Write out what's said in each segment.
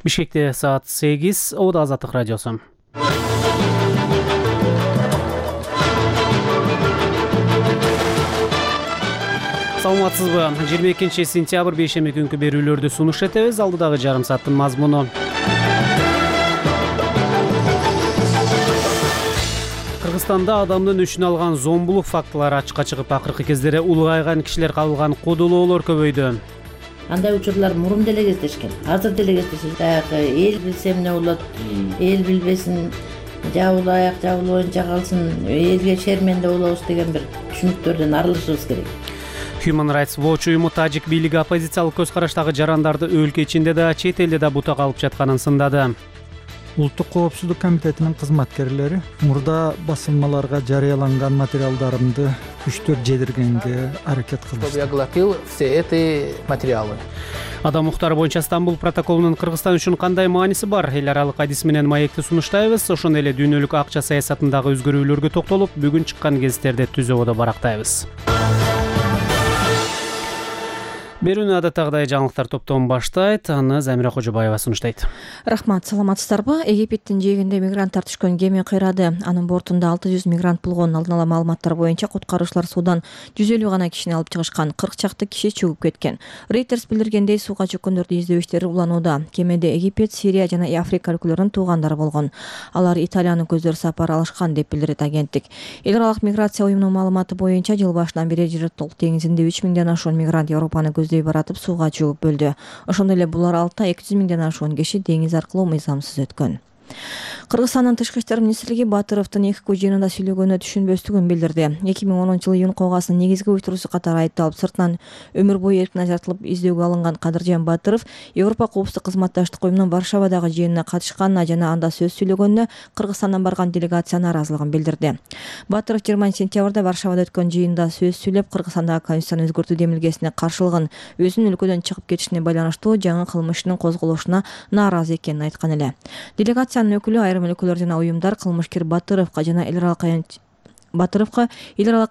Бишкекте саат 8, Ода Азаттык радиосу. Саламатсызбы? 22 сентябрь бейшемби күнкү берүүлөрдү сунуш этебиз. Алдыдагы жарым сааттын мазмуну. Кыргызстанда адамдын өчүн алган зомбулук фактылары ачыкка чыгып, акыркы кездери улгайган кишилер кабылган кодолоолор көбөйдү. Андай учурлар мурун деле кездешкен, азыр деле кездешет. Эл билсе эмне болот, эл билбесин, жабылайык, жабылбайынча калсын, элге шерменде болобуз деген бир түшүнүктөрдөн арылышыбыз керек. Human Rights Watch уюму тажик бийлиги оппозициялык көз караштагы жарандарды өлкө ичинде да, чет элде да бутак алып жатканын сындады. Улуттук коопсуздук комитетинин кызматкерлери мурда басылмаларга жарыяланган материалдарымды күчтөп жедиргенге аракет кылышты. Я огласил все эти материалы. Адам укуктары боюнча Стамбул протоколунун Кыргызстан үчүн кандай мааниси бар? Эл аралык адис менен маекти сунуштайбыз. Ошондой эле дүйнөлүк акча саясатындагы өзгөрүүлөргө токтолуп, бүгүн чыккан гезиттерди түзөбодо барактайбыз. Берүүнү адаттагыдай жаңылыктар топтом баштайт. Аны Замира Кожобаева сунуштайт. Рахмат, саламатсыздарбы? Египеттин жээгинде мигранттар түшкөн кеме кыйрады. Анын бортунда 600 мигрант болгон. Алдын ала маалыматтар боюнча куткаруучулар суудан 150 гана кишини алып чыгышкан. 40 чакты киши чөгүп кеткен. Reuters билдиргендей, сууга чөккөндөрдү издөө иштери уланууда. Кемеде Египет, Сирия жана Африка өлкөлөрүнүн туугандары болгон. Алар Италиянын көздөр сапар алышкан деп билдирет агенттик. Эл аралык миграция уюмунун маалыматы боюнча жыл башынан бери Жыртык деңизинде 3 миңден ашуун мигрант Европаны баратып сууга чөгүп бөлдү. Ошондой эле булар алтта 200 миңден ашуун киши деңиз аркылуу мыйзамсыз өткөн. Кыргызстандын Тышкы иштер министрлиги Батыровдун ЭКК жыйынында сүйлөгөнү түшүнбөстүгүн билдирди. 2010 июнь калгасынын негизги уюштуруусу катары айыпталып, сыртынан өмүр бою эркин ажыратылып издөөгө алынган Кадыржан Батыров Европа коопсуздук кызматташтык уюмунун Варшавадагы жыйынына катышканына жана анда сөз сүйлөгөнүнө Кыргызстандан барган делегация нааразылыгын билдирди. Батыров 20 сентябрда Варшавада өткөн жыйында сөз сүйлөп, Кыргызстандагы конституцияны өзгөртүү демилгесине каршылыгын, өзүнүн өлкөдөн чыгып кетишине байланыштуу жаңы кылмыштын козголушуна нааразы экенин айткан эле. Делегациянын өкүлү айрым өлкөлөр жана уюмдар кылмышкер Батыровго жана эл аралык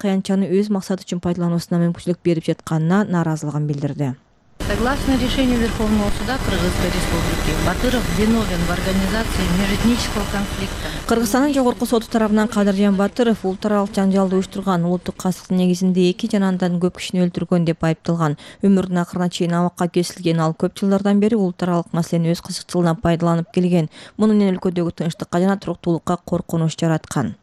аянтчаны өз максаты үчүн пайдалануусуна мүмкүнчүлүк берип жатканына нааразылыгын билдирди. Согласно решению Верховного суда Кыргызской республики, Батыров виновен в организации межэтнического конфликта. Кыргызстандын жогорку соту тарабынан Кадыржан Батыров улут аралык жанжалды уюштурган, улуттук кастыктын негизинде 2 жана андан көп кишини өлтүргөн деп айыпталган. Өмүрүнүн акырына чейин абакка кесилген, ал көп жылдардан бери улут аралык маселени өз кызыкчылыгына пайдаланып келген. Муну менен өлкөдөгү тынчтыкка жана туруктуулукка коркунуч жараткан.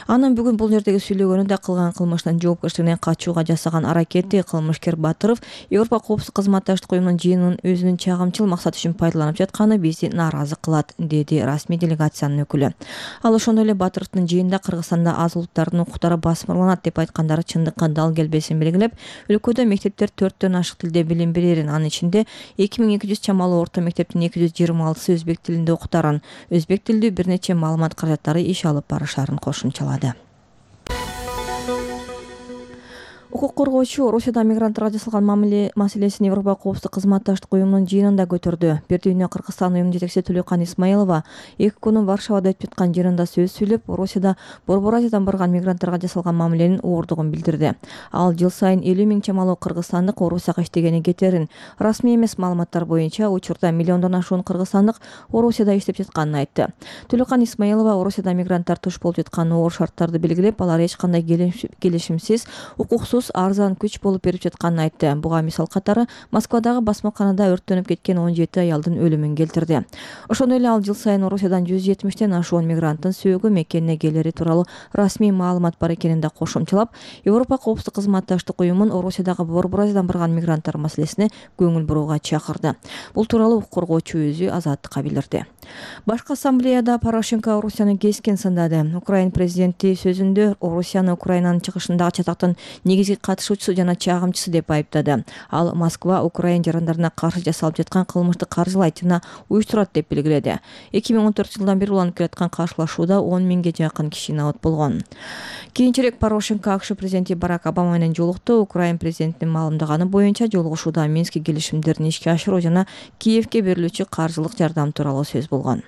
Анын бүгүн бул жердеги сүйлөгөнү да кылган кылмышынан жоопкерчилигинен качууга жасаган аракети кылмышкер Батыров Европа коопсуздук кызматташтык уюмунун жыйынын өзүнүн чагымчыл максаты үчүн пайдаланып жатканы бизди нааразы кылат, деди расмий делегациянын өкүлү. Ал ошондой эле Батыровдун жыйында Кыргызстанда аз улуттардын укуктары басмырланат деп айткандары чындыкка дал келбесин белгилеп, өлкөдө мектептер 4төн ашык тилде билим берерин, анын ичинде 2200 чамалуу орто мектептин 226сы өзбек тилинде окутарын, өзбек тилдүү бир нече маалымат каражаттары иш алып барышарын кошумчалады. Укук коргоочу Орусияда мигранттарга жасалган мамиле маселесин Европа коопсуздук кызматташтык уюмунун жыйынында көтөрдү. Бирдүйнө Кыргызстан уюмунун жетекчиси Төлөкан Исмаилова ЭККнун Варшавада өтүп жаткан жыйынында сөз сүйлөп, Орусияда Борбор Азиядан барган мигранттарга жасалган мамиленин оордугун билдирди. Ал жыл сайын 50 миң чамалуу кыргызстандык Орусияга иштегени кетерин, расмий эмес маалыматтар боюнча учурда миллиондон ашуун кыргызстандык Орусияда иштеп жатканын айтты. Төлөкан Исмаилова Орусияда мигранттар туш болуп жаткан оор шарттарды белгилеп, алар эч кандай келишимсиз, укуксуз арзан күч болуп берип жатканын айтты. Буга мисал катары Москвадагы басмаканада өрттөнүп кеткен 17 аялдын өлүмүн келтирди. Ошондой эле ал жыл сайын Орусиядан 170тен ашуун мигранттын сөөгү мекенине келери тууралуу расмий маалымат бар экенин да кошумчалап, Европа коопсуздук кызматташтык уюмун Орусиядагы Борбор Азиядан барган мигранттар маселесине көңүл бурууга чакырды. Бул тууралуу укук коргоочу өзү Азаттыкка билдирди. Башкы ассамблеяда Порошенко Орусияны кескен сындады. Украин президенти сөзүндө Орусияны Украинанын чыгышындагы чатактын негизги катышуучусу жана чагымчысы деп айыптады. Ал Москва Украин жарандарына каршы жасалып жаткан кылмышты каржылайт жана уюштурат деп белгиледи. 2014 жылдан бери уланып келаткан каршылашууда 10 миңге жакын киши набат болгон. Кийинчерээк Порошенко АКШ президенти Барак Обама менен жолукту. Украин президентинин маалымдаганы боюнча жолугушууда Минск келишимдерин ишке ашыруу жана Киевке берилүүчү каржылык жардам тууралуу сөз болгон.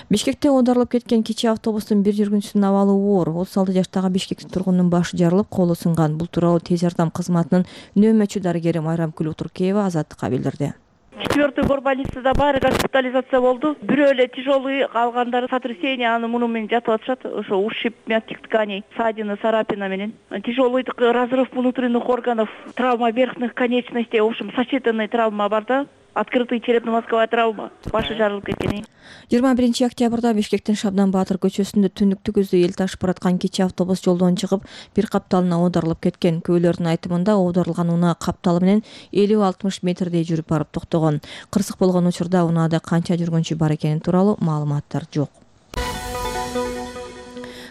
Бишкекте оодарылып кеткен кичи автобустун бир жүргүнчүсүнүн абалы оор. 36 жаштагы Бишкек тургунунун башы жарылып, колу сынган. Бул тууралуу тез жардам кызматынын нөөмөчү дарыгери Майрам Күлүктуркеева Азаттыкка билдирди. 4-й горбольницада баары госпитализация болду. Бирөө эле тяжелый, калгандары сотрясение, аны муну менен жатып атышат. Ошо ушиб мягких тканей, ссадина, царапина менен. Тяжелый разрыв внутренних органов, травма верхних конечностей, в общем, сочетанный травма бар да. Открытый черепно-мозговая травма. Башы жарылып кеткен. 21 октябрда Бишкектин Шабдан Баатыр көчөсүндө түндүктү көздөй эл ташып бараткан кечээ автобус жолдон чыгып, бир капталына оодарылып кеткен. Күбөлөрдүн айтымында оодарылган унаа капталы менен 50-60 метрдей жүрүп барып токтогон. Кырсык болгон учурда унаада канча жүргүнчү бар экени тууралуу маалыматтар жок.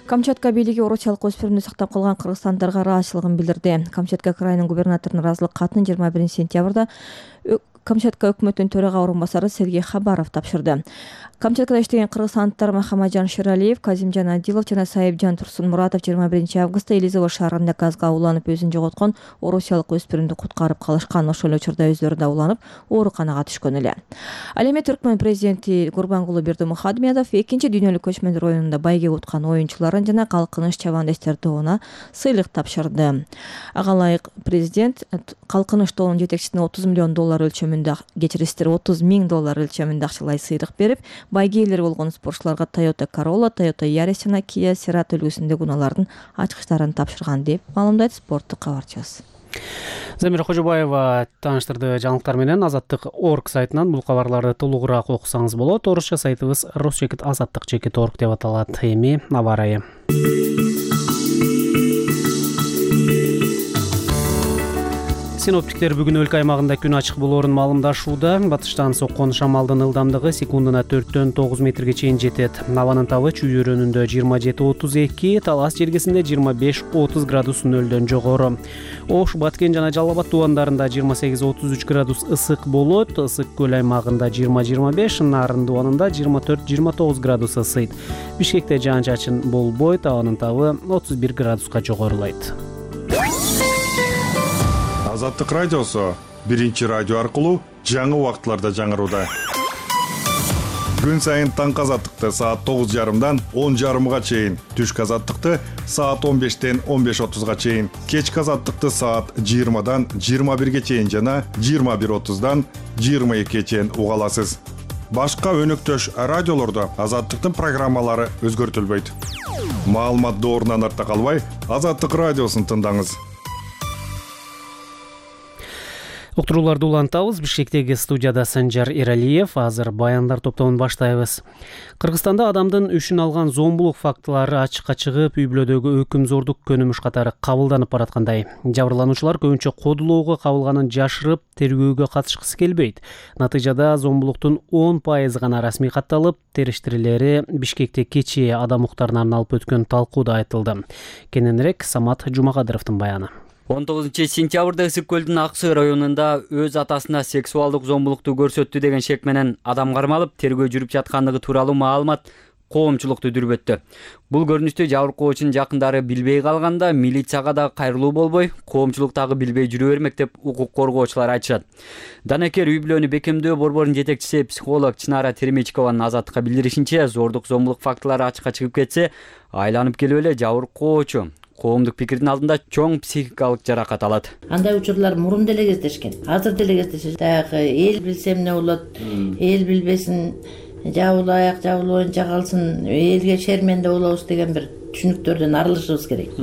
Камчатка бийлиги орусиялык өспүрүмдү сактап калган кыргызстандарга ыраазычылыгын билдирди. Камчатка крайынын губернаторунун ыраазылык катын 21 сентябрда Камчатка өкмөтүнүн төрага орунбасары Сергей Хабаров тапшырды. Камчаткада иштеген кыргызстандыктар Махамаджан Ширалиев, Казимжан Адилов жана Сайыпжан Турсунмуратов 21 августта Элизово шаарында газга уланып өзүн жоготкон орусиялык өспүрүмдү куткарып калышкан. Ошол эле учурда өздөрү да уланып ооруканага түшкөн эле. Ал эми Түркмөн президенти Гурбангулы Бердимухамедов 2 дүйнөлүк көчмөндөр оюнунда байге уткан оюнчуларын жана калкыныч чабандештер тобуна сыйлык тапшырды. Ага ылайык президент калкыныч тобунун жетекчисине $30 миллион өлчөмүндө, кечирисиздер $30 000 өлчөмүндө акчалай сыйлык берип, байге ээлери болгон спортчуларга Toyota Corolla, Toyota Yaris жана Kia Cerato үлгүсүндөгү унаалардын ачкычтарын тапшырган деп маалымдайт спорттук кабарчыбыз. Замира Кожобаева тааныштырды жаңылыктар менен. Азаттык.org сайтынан бул кабарларды толугураак окусаңыз болот. Орусча сайтыбыз rus.azattik.org деп аталат. Эми аба ырайы. Синоптиктер бүгүн өлкө аймагында күн ачык болоорун маалымдашууда. Батыштан соккон шамалдын ылдамдыгы секундуна 4-9 метрге чейин жетет. Абанын табы Чүй өрөөнүндө 27-32, Талас жергесинде 25-30 градус нөлдөн жогору. Ош, Баткен жана Жалал Абад тубандарында 28-33 градус ысык болот. Ысык көл аймагында 20-25, Нарын тубанында 24-29 градус ысыйт. Бишкекте жаан-чачын болбойт, абанын табы 31 градуска жогорулайт. Азаттык радиосу биринчи радио аркылуу жаңы убакытларда жаңырууда. Күн сайын таңкы азаттыкты саат 9:30дан 10:30га чейин, түшкү азаттыкты саат 15-тен 15:30га чейин, кечки азаттыкты саат 20-дан 21-ге чейин жана 21:30-дан 22-ге чейин уга аласыз. Башка өнөктөш радиолордо азаттыктын программалары өзгөртүлбөйт. Маалымат доорунан артта калбай, Азаттык радиосун тыңдаңыз. Уктурууларды улантабыз. Бишкектеги студияда Санжар Эралиев. Азыр баяндар топтомун баштайбыз. Кыргызстанда адамдын үшүн алган зомбулук фактылары ачыкка чыгып, үй-бүлөдөгү өкүмзордук көнүмүш катары кабылданып бараткандай. Жабырлануучулар көбүнчө кодулоого кабылганын жашырып, тергөөгө катышкысы келбейт. Натыйжада зомбулуктун 10% гана расмий катталып, териштирилери Бишкекте кечээ адам укуктарына арналып өткөн талкууда айтылды. Кененирээк Самат Жумакадыровдун баяны. 19 сентябрда Ысык көлдүн Ак Сый районунда өз атасына сексуалдык зомбулукту көрсөттү деген шек менен адам кармалып, тергөө жүрүп жаткандыгы тууралуу маалымат коомчулукту дүрбөттү. Бул көрүнүштү жабыркоочунун жакындары билбей калганда, милицияга да кайрылуу болбой, коомчулуктагы билбей жүрө бермек деп укук коргоочулар айтышат. Данекер үй-бүлөнү бекемдөө борборунун жетекчиси психолог Чынара Теремечкованын Азаттыкка билдиришинче, зордук зомбулук фактылары ачыкка чыгып кетсе, айланып келип эле жабыркоочу коомдук пикирдин алдында чоң психикалык жаракат алат. Андай учурлар мурун деле кездешкен. Азыр деле кездешет. Дагы эл билсе эмне болот, эл билбесин, жабылуу аяк, жабылуу оюнчак алсын, элге шерменде болобуз деген бир түшүнүктөрдөн арылышыбыз керек.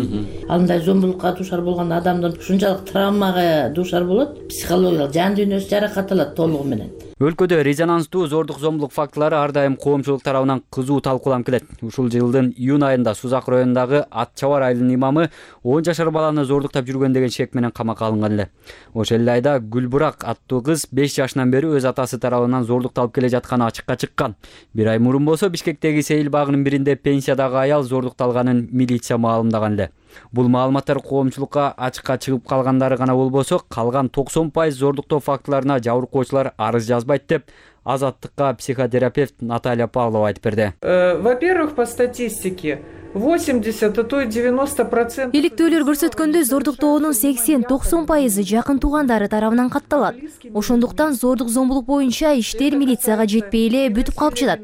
Ал мындай зомбулукка дуушар болгон адамдын ушунчалык травмага дуушар болот, психологиялык жан дүйнөсү жаракат алат толугу менен. Өлкөдө резонанстуу зордук зомбулук фактылары ар дайым коомчулук тарабынан кызуу талкууланып келет. Ушул жылдын июнь айында Сузак районундагы Ат Чабар айылынын имамы 10 жашар баланы зордуктап жүргөн деген шек менен камакка алынган эле. Ошол эле айда Гүлбурак аттуу кыз 5 жашынан бери өз атасы тарабынан зордукталып келе жатканы ачыкка чыккан. Бир ай мурун болсо Бишкектеги сейил багынын биринде пенсиядагы аял зордукталганын милиция маалымдаган эле. Бул маалыматтар коомчулукка ачыкка чыгып калгандары гана болбосо, калган 90% зордуктоо фактыларына жабыркоочулар арыз жазбайт деп Азаттыкка психотерапевт Наталья Павлова айтып берди. Во-первых, по статистике 80, а то и 90%. Иликтөөлөр көрсөткөндөй зордуктоонун 80-90% жакын туугандары тарабынан катталат. Ошондуктан зордук зомбулук боюнча иштер милицияга жетпей эле бүтүп калып жатат.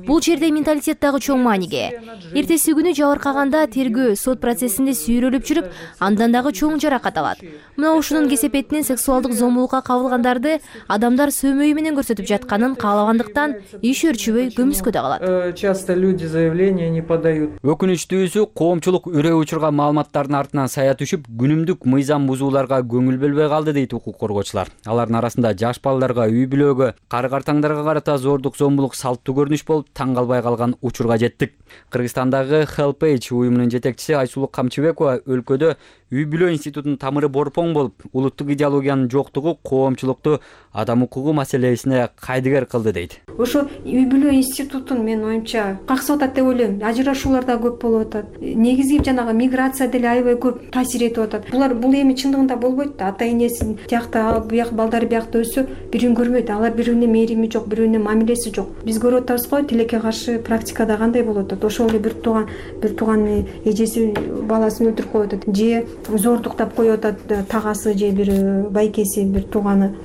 Бул жерде менталитет дагы чоң мааниге. Эртеси күнү жабыркаганда тергөө сот процессинде сүйрөлүп жүрүп, андан дагы чоң жаракат алат. Мына ушунун кесепетинен сексуалдык зомбулукка кабылгандарды адамдар сөмөй менен көрсөтүп жатканын каалагандыктан иш өрчүбөй көмүскөдө калат. Часто люди заявления не подают. Өкүнүчтүүсү, коомчулук үрөө учурга маалыматтардын артынан сая түшүп, күнүмдүк мыйзам бузууларга көңүл бөлбөй калды дейт укук коргоочулар. Алардын арасында жаш балдарга, үй бүлөгө, кары-картаңдарга карата зордук зомбулук салттуу көрүнүш болуп, таң калбай калган учурга жеттик. Кыргызстандагы HelpAge уюмунун жетекчиси Айсулуу Камчыбекова өлкөдө үй бүлө институтунун тамыры борпоң болуп, улуттук идеологиянын жоктугу коомчулукту адам укугу маселесине кайдыгер кылды дейт. Ошо үй бүлө институтун мен оюмча каксып атат деп ойлойм. Ажырашуулар да көп болуп атат. Негизги жанагы миграция деле аябай көп таасир этип атат. Бул эми чындыгында болбойт да. Ата энесин тиякта, бияк балдары биякта өссө, бирин көрбөйт. Алар бири-бирине мээрими жок, бири-бирине мамилеси жок. Биз көрүп атабыз го, тилекке каршы практикада кандай болуп атат. Ошол эле бир тууган эжеси баласын өлтүрүп коюп атат. Же зордуктап коюп атат тагасы же бир байкеси, бир тууганы.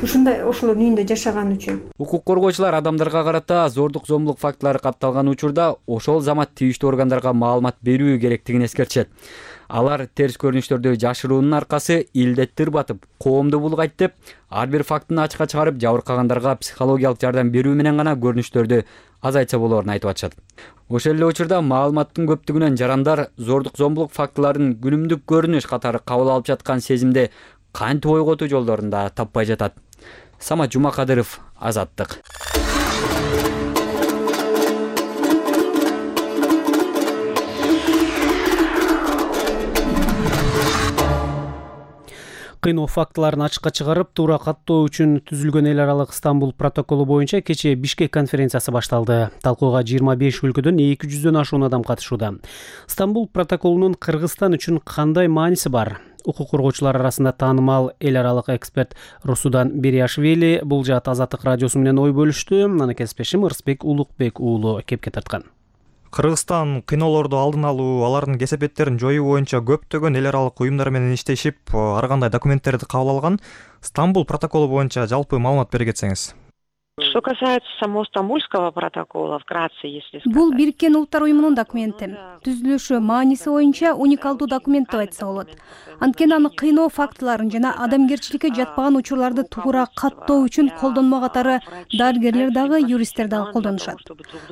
Ушундай ошолордун үйүндө жашаган үчүн. Укук коргоочулар адамдарга карата зордук зомбулук фактылары катталган учурда ошол замат тийиштүү органдарга маалымат берүү керектигин эскертишет. Алар терс көрүнүштөрдү жашыруунун аркасы илдетти ырбатып, коомду булгайт деп, ар бир фактыны ачыкка чыгарып, жабыркагандарга психологиялык жардам берүү менен гана көрүнүштөрдү азайтса болоорун айтып атышат. Ошол эле учурда маалыматтын көптүгүнөн жарандар зордук зомбулук фактыларын күнүмдүк көрүнүш катары кабыл алып жаткан сезимди кантип ойготуу жолдорун да таппай жатат. Самат Жумакадыров, Азаттык. Кыйноо фактыларын ачыкка чыгарып, туура каттоо үчүн түзүлгөн эл аралык Стамбул протоколу боюнча кечээ Бишкек конференциясы башталды. Талкууга 25 өлкөдөн 200дөн ашуун адам катышууда. Стамбул протоколунун Кыргызстан үчүн кандай мааниси бар? Укук коргоочулар арасында таанымал эл аралык эксперт Русудан Бериашвили бул жаат Азаттык радиосу менен ой бөлүштү. Аны кесиптешим Ырысбек Улукбек уулу кепке тарткан. Кыргызстан кыйноолорду алдын алуу, алардын кесепеттерин жоюу боюнча көптөгөн эл аралык уюмдар менен иштешип, ар кандай документтерди кабыл алган. Стамбул протоколу боюнча жалпы маалымат бере кетсеңиз. Что касается самого Стамбульского протокола, вкратце, если сказать. Бул Бириккен Улуттар уюмунун документи. Түзүлүшү, мааниси боюнча уникалдуу документ деп айтса болот. Анткени аны кыйноо фактыларын жана адамгерчиликке жатпаган учурларды туура каттоо үчүн колдонмо катары дарыгерлер дагы, юристтер дагы колдонушат.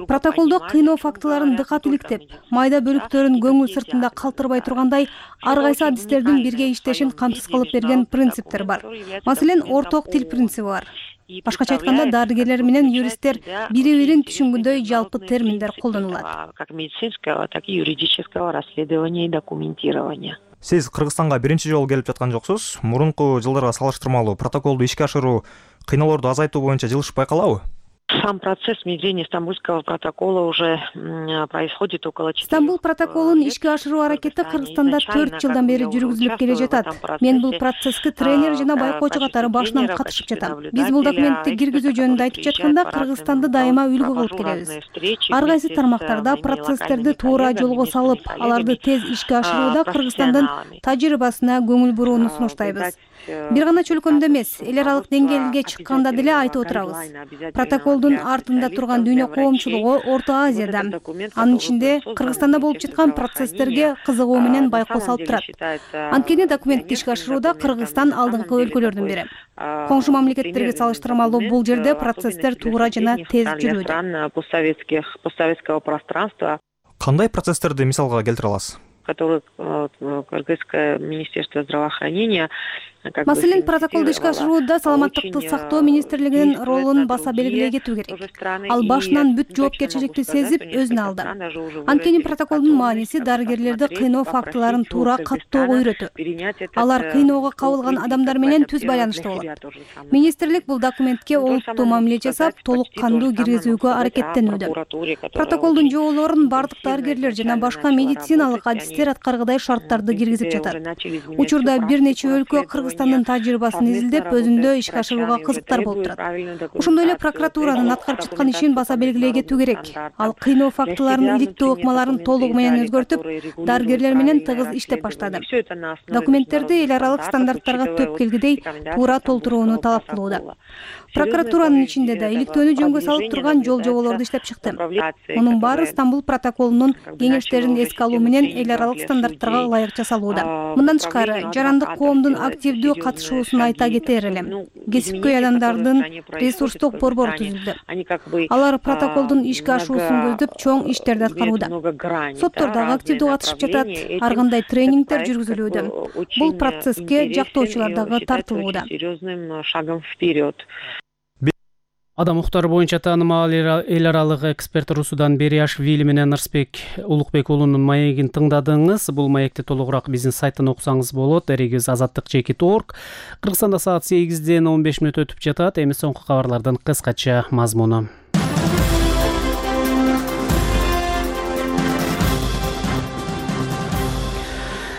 Протоколдо кыйноо фактыларын дыкаттууликтеп, майда бөлүктөрүн көңүл сыртында калтырбай тургандай ар кайсы адистердин бирге иштешин камсыз кылып берген принциптер бар. Маселен, орток тил принциби бар. Башкача айтканда, дарыгерлер менен юристтер бири-бирин түшүнгөндөй жалпы терминдер колдонулат. Как медицинского, так и юридического расследования и документирования. Сиз Кыргызстанга биринчи жолу келип жаткан жоксуз. Мурунку жылдарга салыштырмалуу протоколду ишке ашыруу, кыйноолорду азайтуу боюнча жылыш байкалабы? Сам процесс внедрения Стамбульского протокола уже происходит около 4 лет. Стамбул протоколун ишке ашыруу аракети Кыргызстанда 4 жылдан бери жүргүзүлүп келе жатат. Мен бул процесске тренер жана байкоочу катары башынан катышып жатам. Биз бул документти киргизүү жөнүндө айтып жатканда Кыргызстанды дайыма үлгү кылып келебиз. Ар кайсы тармактарда процесстерди туура жолго салып, аларды тез ишке ашырууда Кыргызстандын тажрыйбасына көңүл бурууну сунуштайбыз. Бир гана чөлкөмдө эмес, эл аралык деңгээлге чыкканда деле айтып отурабыз. Протоколдун артында турган дүйнө коомчулугу Орто Азияда, анын ичинде Кыргызстанда болуп жаткан процесстерге кызыгуу менен байкоо салып турат. Анткени документти ишке ашырууда Кыргызстан алдыңкы өлкөлөрдүн бири. Коңшу мамлекеттерге салыштырмалуу бул жерде процесстер туура жана тез жүрүүдө. Постсоветского пространства. Кандай процесстерди мисалга келтире аласыз? Который Кыргызское министерство здравоохранения. Маселен, протоколду ишке ашырууда саламаттыкты сактоо министрлигинин ролун баса белгилей кетүү керек. Ал башынан бүт жоопкерчиликти сезип, өзүнө алды. Анткени протоколдун мааниси дарыгерлерди кыйноо фактыларын туура каттоого үйрөтүү. Алар кыйноого кабылган адамдар менен түз байланышта болот. Министрлик бул документке олуттуу мамиле жасап, толук кандуу киргизүүгө аракеттенүүдө. Протоколдун жоолорун бардык дарыгерлер жана башка медициналык адистер мамлекеттер аткаргыдай шарттарды киргизип жатат. Учурда бир нече өлкө Кыргызстандын тажрыйбасын изилдеп, өзүндө ишке ашырууга кызыктар болуп турат. Ошондой эле прокуратуранын аткарып жаткан ишин баса белгилей кетүү керек. Ал кыйноо фактыларын, иликтөө ыкмаларын толугу менен өзгөртүп, дарыгерлер менен тыгыз иштеп баштады. Документтерди эл аралык стандарттарга төп келгидей туура толтурууну талап кылууда. Прокуратуранын ичинде да иликтөөнү жөнгө салып турган жол жоболорду иштеп чыкты. Мунун баары Стамбул протоколунун кеңештерин эске алуу менен эл аралык стандарттарга ылайык жасалууда. Мындан тышкары, жарандык коомдун активдүү катышуусун айта кетер элем. Кесипкөй адамдардын ресурстук борбору түзүлдү. Алар протоколдун ишке ашуусун көздөп чоң иштерди аткарууда. Соттор дагы активдүү катышып жатат, ар кандай тренингдер жүргүзүлүүдө. Бул процесске жактоочулар дагы тартылууда. Адам укуктары боюнча таанымал эл аралык эксперт Русудан Бериашвили менен Ырысбек Улукбек уулунун маегин тыңдадыңыз. Бул маекти толугураак биздин сайттан окусаңыз болот. Эрегибиз azatlyk.org. Кыргызстанда саат 8ден 15 мүнөт өтүп жатат. Эми соңку кабарлардын кыскача мазмуну.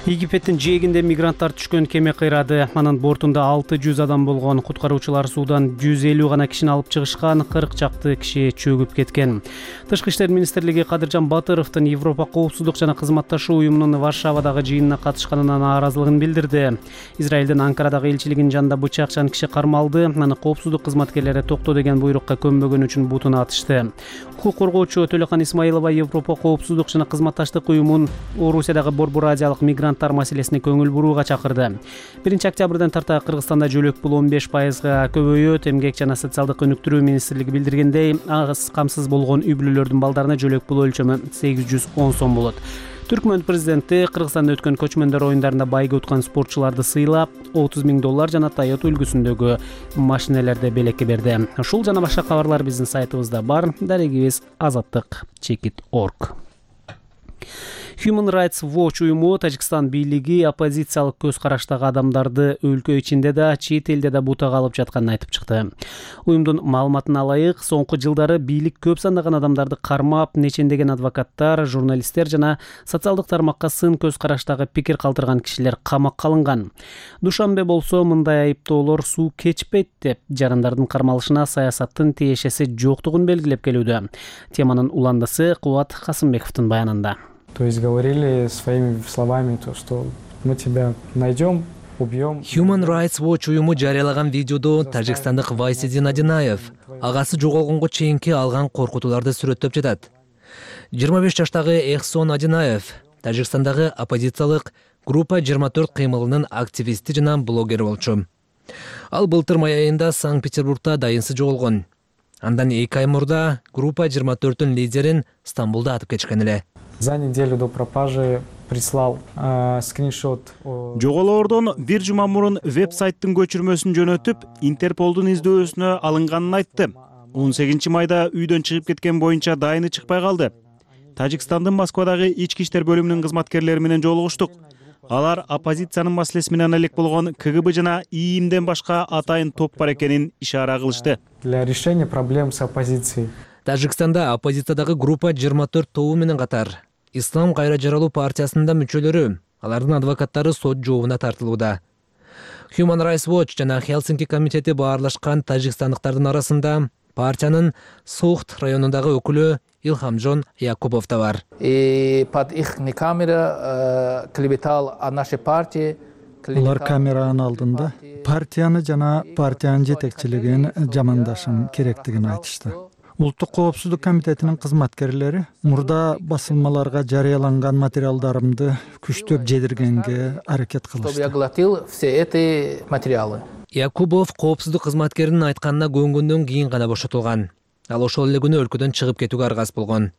Египеттин жээгинде мигранттар түшкөн кеме кыйрады. Анын бортунда 600 адам болгон. Куткаруучулар суудан 150 гана кишини алып чыгышкан, 40 чакты киши чөгүп кеткен. Тышкы иштер министрлиги Кадыржан Батыровдун Европа коопсуздук жана кызматташуу уюмунун Варшавадагы жыйынына катышканына нааразылыгын билдирди. Израилдин Анкарадагы элчилигинин жанында бычакчан киши кармалды. Аны коопсуздук кызматкерлери токто деген буйрукка көнбөгөн үчүн бутуна атышты. Укук коргоочу Төлөкан Исмаилова Европа коопсуздук жана кызматташтык уюмун Орусиядагы Борбор Азиялык мигранттар маселесине көңүл бурууга чакырды. 1-октябрдан тарта Кыргызстанда жөлөк пул 15%га көбөйөт. Эмгек жана социалдык өнүктүрүү министрлиги билдиргендей, аз камсыз болгон үй бүлөлөрдүн балдарына жөлөк пул өлчөмү 810 сом болот. Түркмөн президенти Кыргызстанда өткөн көчмөндөр оюндарында байга уткан спортчуларды сыйлап, $30,000 жана Toyota үлгүсүндөгү машинелерди белекке берди. Ушул жана башка кабарлар биздин сайтыбызда бар. Дарегибиз azatlyk.org. Human Rights Watch уюму Тажикстан бийлиги оппозициялык көз караштагы адамдарды өлкө ичинде да, чет элде да бутага алып жатканын айтып чыкты. Уюмдун маалыматына ылайык, соңку жылдары бийлик көп сандаган адамдарды кармап, нечендеген адвокаттар, журналисттер жана социалдык тармакка сын көз караштагы пикир калтырган кишилер камакка алынган. Душанбе болсо мындай айыптоолор суу кечпейт деп, жарандардын кармалышына саясаттын тиешеси жоктугун белгилеп келүүдө. Теманын уландысы Кубат Касымбековдун баянында. То есть говорили своими словами то, что мы тебя найдем, убьем. Human Rights Watch уюму жарыялаган видеодо тажикстандык Вайсидин Адинаев агасы жоголгонго чейинки алган коркутууларды сүрөттөп жатат. 25 жаштагы Эхсон Адинаев Тажикстандагы оппозициялык группа 24 кыймылынын активисти жана блогери болчу. Ал былтыр май айында Санкт-Петербургда дайынсы жоголгон. Андан 2 ай мурда группа 24-тун лидерин Стамбулда атып кетишкен эле. За неделю до пропажи прислал скриншот. Жоголоордон бир жума мурун веб-сайттын көчүрмөсүн жөнөтүп, Интерполдун издөөсүнө алынганын айтты. 18 майда үйдөн чыгып кеткен боюнча дайыны чыкпай калды. Тажикстандын Москвадагы ички иштер бөлүмүнүн кызматкерлери менен жолугуштук. Алар оппозициянын маселеси менен элек болгон КГБ жана ИИМден башка атайын топ бар экенин ишара кылышты. Для решения проблем с оппозицией. Тажикстанда оппозициядагы группа 24 тобу менен катар Ислам кайра жаралуу партиясында мүчөлөрү, алардын адвокаттары сот жообуна тартылууда. Human Rights Watch жана Хелсинки комитети баарлашкан тажикстандыктардын арасында партиянын Сохт районундагы өкүлү Илхамжон Якубов да бар. Под их камера клеветал о нашей партии. Улар камеранын алдында партияны жана партиянын жетекчилигин жамандашым керектигин айтышты. Улуттук коопсуздук комитетинин кызматкерлери мурда басылмаларга жарыяланган материалдарымды күчтөп жедиргенге аракет кылышты. Я глотил все эти материалы. Якубов коопсуздук кызматкеринин айтканына көнгөндөн кийин гана бошотулган. Ал ошол эле күнү өлкөдөн чыгып кетүүгө аргасыз болгон.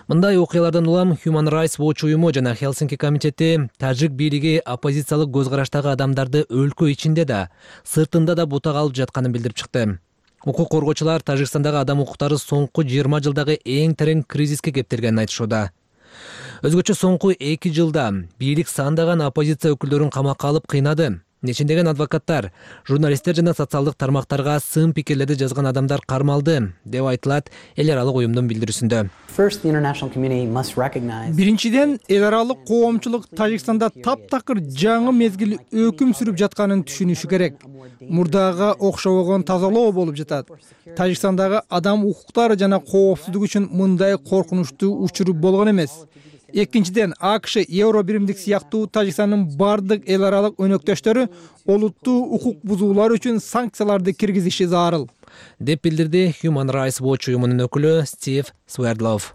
Мындай окуялардан улам Human Rights Watch уюму жана Хелсинки комитети тажик бийлиги оппозициялык көз караштагы адамдарды өлкө ичинде да, сыртында да бутага алып жатканын билдирип чыкты. Укук коргоочулар Тажикстандагы адам укуктары соңку 20 жылдагы эң терең кризиске кептиргенин айтышууда. Өзгөчө соңку 2 жылда бийлик сандаган оппозиция өкүлдөрүн камакка алып кыйнады. Нечиндеген адвокаттар, журналисттер жана социалдык тармактарга сын пикирлерди жазган адамдар кармалды, деп айтылат эл аралык уюмдун билдирүүсүндө. Биринчиден, эл аралык коомчулук Тажикстанда таптакыр жаңы мезгил өкүм сүрүп жатканын түшүнүшү керек. Мурдага окшобогон тазалоо болуп жатат. Тажикстандагы адам укуктары жана коопсуздук үчүн мындай коркунучтуу учур болгон эмес. Экинчиден, АКШ, Евро биримдик сыяктуу Тажикстандын бардык эл аралык өнөктөштөрү олуттуу укук бузуулар үчүн санкцияларды киргизиши зарыл, деп билдирди Human Rights Watch уюмунун өкүлү Стив Свердлов.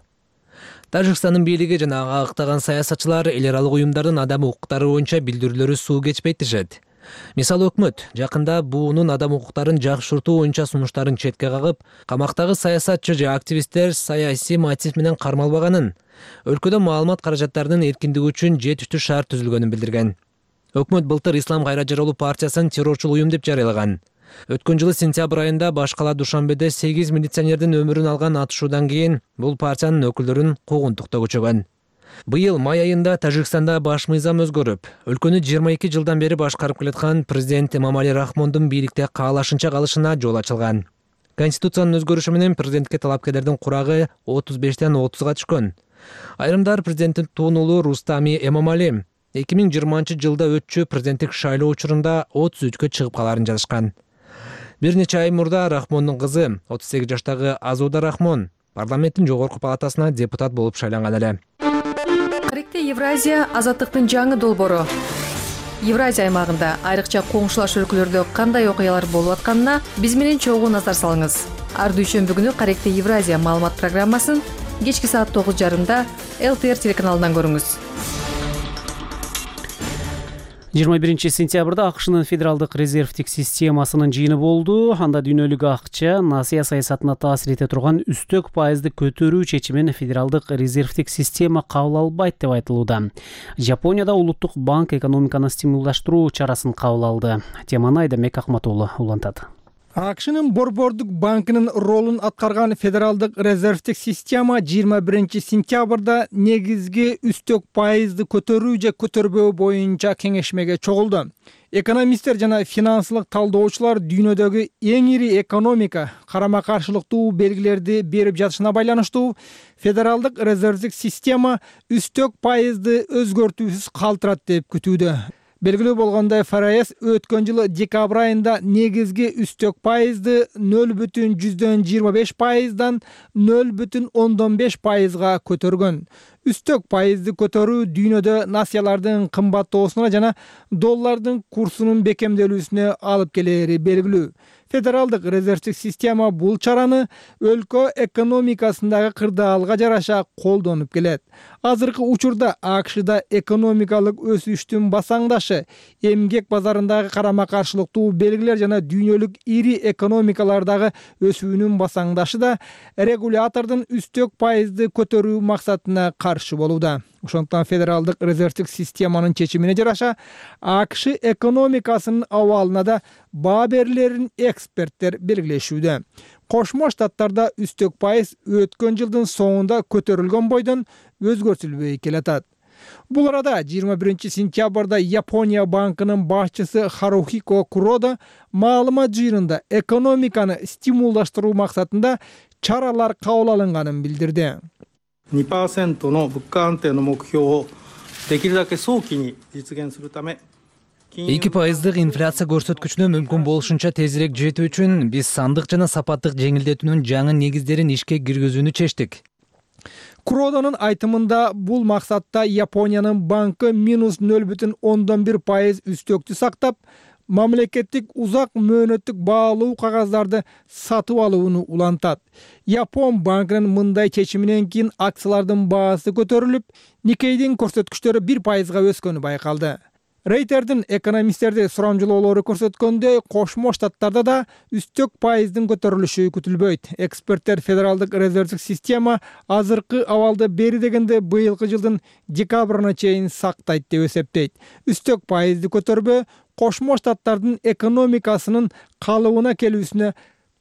Тажикстандын бийлиги жана ага ыктаган саясатчылар эл аралык уюмдардын адам укуктары боюнча билдирүүлөрү суу кечпейт дешет. Мисалы, өкмөт жакында буунун адам укуктарын жакшыртуу боюнча сунуштарын четке кагып, камактагы саясатчы же активисттер саясий мотив менен кармалбаганын, өлкөдө маалымат каражаттарынын эркиндиги үчүн жетиштүү шарт түзүлгөнүн билдирген. Өкмөт былтыр Ислам Кайраджаролу партиясын террорчул уюм деп жарыялаган. Өткөн жылы сентябрь айында баш кала Душанбеде 8 милиционердин өмүрүн алган атышуудан кийин бул партиянын өкүлдөрүн куугунтукта көчөгөн. Быйыл май айында Тажикстанда баш мыйзам өзгөрүп, өлкөнү 22 жылдан бери башкарып келаткан президент Эмомали Рахмондун бийликте каалашынча калышына жол ачылган. Конституциянын өзгөрүшү менен президентке талапкерлердин курагы 35ден 30га түшкөн. Айрымдар президенттин туунулу Рустами Эмомали 2020 жылда өтчү президенттик шайлоо учурунда 33кө чыгып каларын жазышкан. Бир нече ай мурда Рахмондун кызы 38 жаштагы Азуда Рахмон парламенттин жогорку палатасына депутат болуп шайланган эле. Каректе Евразия азаттыктын жаңы долбоору. Евразия аймагында айрыкча коңшулаш өлкөлөрдө кандай окуялар болуп атканына биз менен чогуу назар салыңыз. Ар дүйшөмбү күнү Каректе Евразия маалымат программасын кечки саат 9:30 ЛТР телеканалынан көрүңүз. 21 сентябрда АКШнын федералдык резервдик системасынын жыйыны болду. Анда дүйнөлүк акча насыя саясатына таасир эте турган үстөк пайызды көтөрүү чечимин федералдык резервдик система кабыл албайт деп айтылууда. Жапонияда улуттук банк экономиканы стимулдаштыруу чарасын кабыл алды. Теманы Айдамек Акматуулу улантат. АКШнын Борбордук банкынын ролун аткарган федералдык резервдик система 21 сентябрда негизги үстөк пайызды көтөрүү же көтөрбөө боюнча кеңешмеге чогулду. Экономисттер жана финансылык талдоочулар дүйнөдөгү эң ири экономика карама-каршылыктуу белгилерди берип жатышына байланыштуу федералдык резервдик система үстөк пайызды өзгөртүүсүз калтырат деп күтүүдө. Белгилүү болгондой, ФРС өткөн жылы декабрь айында негизги үстөк пайызды 0,25%дан 0,15%га көтөргөн. Үстөк пайызды көтөрүү дүйнөдө насыялардын кымбаттоосуна жана доллардын курсунун бекемделүүсүнө алып келери белгилүү. Федералдык резервдик система бул чараны өлкө экономикасындагы кырдаалга жараша колдонуп келет. Азыркы учурда АКШда экономикалык өсүштүн басаңдашы, эмгек базарындагы карама-каршылыктуу белгилер жана дүйнөлүк ири экономикалардагы өсүүнүн басаңдашы да регулятордун үстөк пайызды көтөрүү максатына каршы болууда. Ошондуктан федералдык резервдик системанын чечимине жараша АКШ экономикасынын абалына да баа берилерин эксперттер белгилешүүдө. Кошмо Штаттарда үстөк пайыз өткөн жылдын соңунда көтөрүлгөн бойдон өзгөртүлбөй келатат. Бул арада 21 сентябрда Япония банкынын башчысы Харухико Куродо маалымат жыйынында экономиканы стимулдаштыруу максатында чаралар кабыл алынганын билдирди. 2% の物価安定の目標をできるだけ早期に実現するため 2% инфляция көрсөткүчүнө мүмкүн болушунча тезирээк жетүү үчүн биз сандык жана сапаттык жеңилдетүүнүн жаңы негиздерин ишке киргизүүнү чечтик. Куродонун айтымында бул максатта Япониянын банкы -0,1% үстөктү сактап, мамлекеттик узак мөөнөттүк баалуу кагаздарды сатып алууну улантат. Япон банкынын мындай чечиминен кийин акциялардын баасы көтөрүлүп, Никейдин көрсөткүчтөрү 1%га өскөнү байкалды. Рейтердин экономисттерди сурамжылоолору көрсөткөндөй, Кошмо Штаттарда да үстөк пайыздын көтөрүлүшү күтүлбөйт. Эксперттер федералдык резервдик система азыркы абалды бери дегенде быйылкы жылдын декабрына чейин сактайт деп эсептейт. Үстөк пайызды көтөрбөө Кошмо Штаттардын экономикасынын калыбына келүүсүнө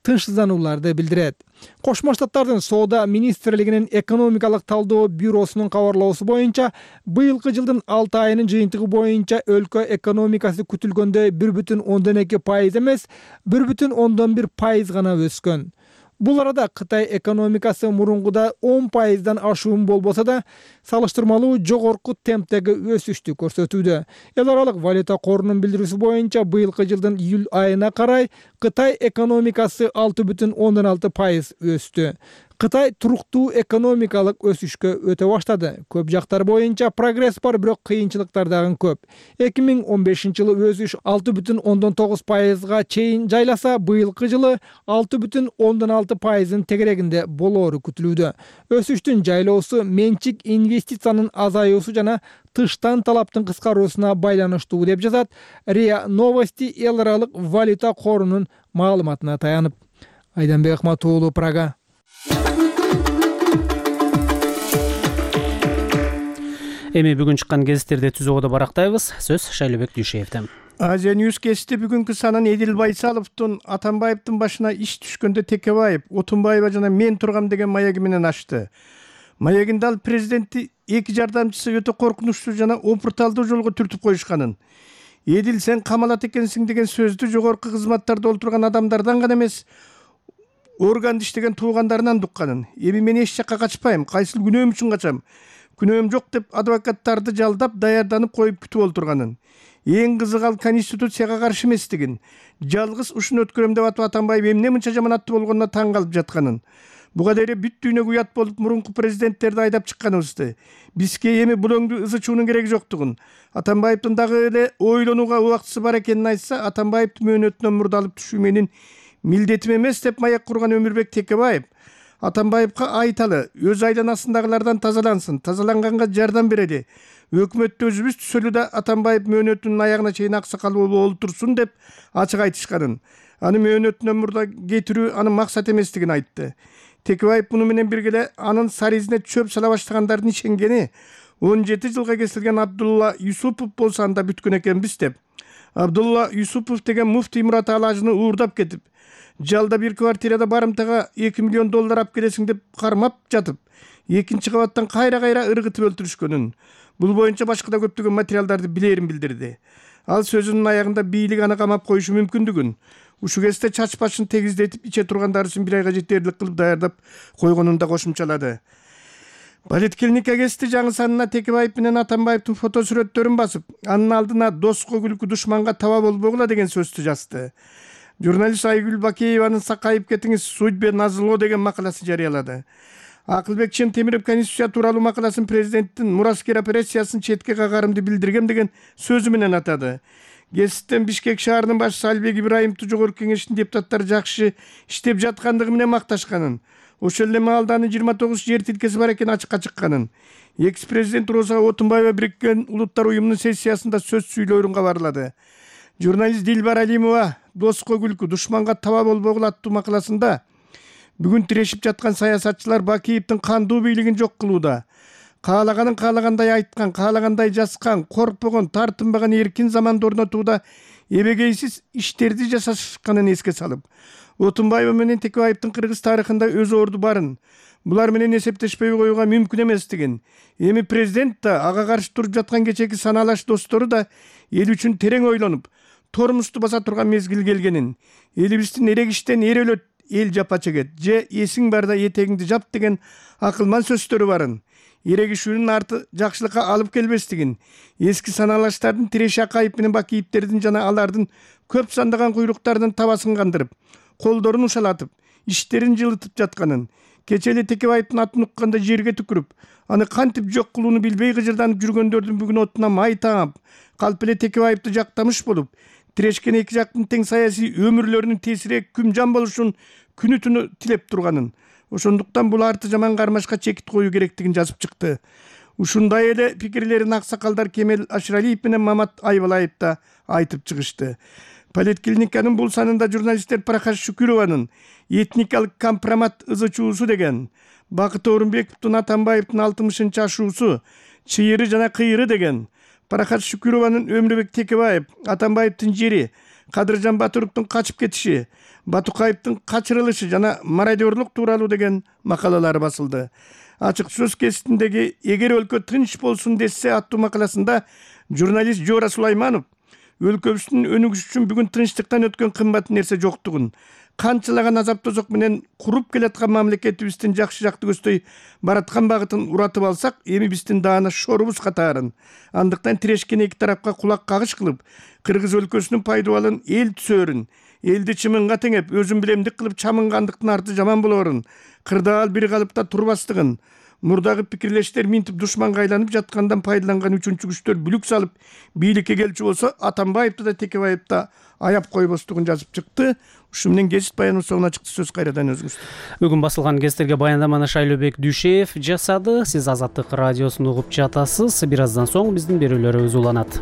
тынчсызданууларды билдирет. Кошмо Штаттардын Соода министрлигинин экономикалык талдоо бюросунун кабарлоосу боюнча, быйылкы жылдын 6 айынын жыйынтыгы боюнча өлкө экономикасы күтүлгөндөй 1,2% эмес, 1,1% гана өскөн. Бул арада Кытай экономикасы мурункуда 10%дан ашуун болбосо да, салыштырмалуу жогорку темптеги өсүштү көрсөтүүдө. Эл аралык валюта корунун билдирүүсү боюнча, быйылкы жылдын июль айына карай Кытай экономикасы 6,6% өстү. Кытай туруктуу экономикалык өсүшкө өтө баштады. Көп жактар боюнча прогресс бар, бирок кыйынчылыктар дагы көп. 2015 жылы өсүш 6,9%га чейин жайласа, быйылкы жылы 6,6%-ын тегерегинде болоору күтүлүүдө. Өсүштүн жайлоосу менчик инвестициянын азаюусу жана тыштан талаптын кыскаруусуна байланыштуу деп жазат РИА Новости эл аралык валюта корунун маалыматына таянып. Айданбек Ахматуулу, Прага. Эми бүгүн чыккан гезиттерди түзүүгө барактайбыз. Сөз Шайлыбек Дүйшеевден. Азия Ньюс кести бүгүнкү санын Эдил Байсаловдун Атамбаевдин башына иш түшкөндө Текебаев, Отунбаева жана мен тургам деген маяги менен ачты. Маягинде ал президенти эки жардамчысы өтө коркунучтуу жана опурталдуу жолго түртүп коюшканын. Эдил, сен камалат экенсиң деген сөздү жогорку кызматтарда олтурган адамдардан гана эмес, органды иштеген туугандарынан дукканын. Эми мен эч жакка качпайм, кайсыл күнөөм үчүн качам. Күнөөм жок деп адвокаттарды жалдап, даярданып коюп күтүп олтурганын. Эң кызыгы ал конституцияга каршы эместигин, жалгыз ушуну өткөрөм деп атып Атамбаев эмне мынча жаманаттуу болгонуна таң калып жатканын. Буга дейре бүт дүйнөгө уят болуп мурунку президенттерди айдап чыкканыбызды. Бизге эми булоңду ызычуунун кереги жоктугун, Атамбаевдин дагы эле ойлонууга убактысы бар экенин айтса, Атамбаевдин мөөнөтүнөн мурдалып түшүү менин милдетим эмес деп маяк курган Өмүрбек Текебаев Атамбаевка айталы, өз айланасындагылардан тазалансын, тазаланганга жардам берели. Өкмөттө өзүбүз түзөлү да Атамбаев мөөнөтүнүн аягына чейин аксакал болуп олтурсун деп ачык айтышканын. Аны мөөнөтүнөн мурда кетирүү анын максат эместигин айтты. Текебаев муну менен бирге эле анын саризине чөп сала баштагандардын ишенгени 17 жылга кесилген Абдулла Юсупов болсо анда бүткөн экенбиз деп. Абдулла Юсупов деген муфтий Мурат Алажыны уурдап кетип, жалда бир квартирада барымтага $2 миллион алып келесиң деп кармап жатып, экинчи кабаттан кайра ыргытып өлтүрүшкөнүн. Бул боюнча башка да көптөгөн материалдарды билерин билдирди. Ал сөзүнүн аягында бийлик аны камап коюшу мүмкүндүгүн, ушу кезде чач башын тегиздетип иче тургандар үчүн бир айга жетерлик кылып даярдап койгонун да кошумчалады. Политклиника кести жаңы санына Текебаев менен Атамбаевдин фото сүрөттөрүн басып, анын алдына доско күлкү душманга таба болбогула деген сөздү жазды. Журналист Айгүл Бакееванын «Сакайып кетиңиз, судьбе назло» деген макаласы жарыялады. Акылбек Чентемиров конституция тууралуу макаласын президенттин мураскер операциясын четке кагарымды билдиргем деген сөзү менен атады. Гезиттен Бишкек шаарынын башчысы Албек Ибраимовду жогорку кеңештин депутаттары жакшы иштеп жаткандыгы менен макташканын. Ошол эле маалда анын 29 жер тилкеси бар экени ачыкка чыкканын. Экс-президент Роза Отунбаева Бириккен Улуттар уюмунун сессиясында сөз сүйлөөрүн кабарлады. Журналист Дилбар Алимова «Доско күлкү, душманга таба болбогула» аттуу макаласында бүгүн тирешип жаткан саясатчылар Бакиевдин кандуу бийлигин жок кылууда. Каалаганын каалагандай айткан, каалагандай жазган, коркпогон, тартынбаган эркин заманды орнотууда эбегейсиз иштерди жасашканын эске салып, Отунбаева менен Текебаевдин кыргыз тарыхында өз орду барын, булар менен эсептешпей коюуга мүмкүн эместигин, эми президент да, ага каршы туруп жаткан кечеки санаалаш достору да эл үчүн терең ойлонуп, тормушту баса турган мезгил келгенин, элибиздин эрек иштен эр өлөт, эл жапа чегет, же эсиң барда этегиңди жап деген акылман сөздөрү барын, эрегишүүнүн арты жакшылыкка алып келбестигин, эски санаалаштардын Тиреши Акаев менен Бакиевдердин жана алардын көп сандаган куйруктардын табасын кандырып, колдорун ушалатып, иштерин жылытып жатканын, кече эле Текебаевдин атын укканда жерге түкүрүп, аны кантип жок кылууну билбей кыжырданып жүргөндөрдүн бүгүн отуна май таап, калп эле Текебаевди жактамыш болуп, тирешкен эки жактын тең саясий өмүрлөрүнүн тесири күмжан болушун күнү түнү тилеп турганын, ошондуктан бул арты жаман кармашка чекит коюу керектигин жазып чыкты. Ушундай эле пикирлерин аксакалдар Кемел Ашыралиев менен Мамат Айбалаев да айтып чыгышты. Политклиниканын бул санында журналисттер Парахаш Шүкүрованын этникалык компромат ызычуусу деген, Бакыт Орунбековдун Атамбаевдин 60-чы ашуусу, чыйыры жана кыйыры деген, Парахат Шүкүрованын Өмүрбек Текебаев, Атамбаевдин жери, Кадыржан Батыровдун качып кетиши, Батукаевдин качырылышы жана мародерлук тууралуу деген макалалары басылды. Ачык сөз кеситиндеги «Эгер өлкө тынч болсун десе» аттуу макаласында журналист Жора Сулайманов өлкөбүздүн өнүгүшү үчүн бүгүн тынчтыктан өткөн кымбат нерсе жоктугун, канчалаган азап тозок менен куруп келаткан мамлекетибиздин жакшы көздөй бараткан багытын уратып алсак, эми биздин даана шорубуз катаарын, андыктан тирешкен эки тарапка кулак кагыш кылып, кыргыз өлкөсүнүн пайдубалын эл түзөрүн, элди чымынга теңеп, өзүн билемдик кылып чамынгандыктын арты жаман болорун, кырдаал бир калыпта турбастыгын, мурдагы пикирлештер минтип душманга айланып жаткандан пайдаланган үчүнчү күчтөр бүлүк салып бийликке келчү болсо, Атамбаевди да Текебаевди да аяп койбостугун жазып чыкты. Ушу менен гезит баянынын соңуна чыкты. Сөз кайрадан өзүңүздө. Бүгүн басылган гезиттерге баяндаманы Шайлообек Дүйшеев жасады. Сиз Азаттык радиосун угуп жатасыз. Бир аздан соң биздин берүүлөрүбүз уланат.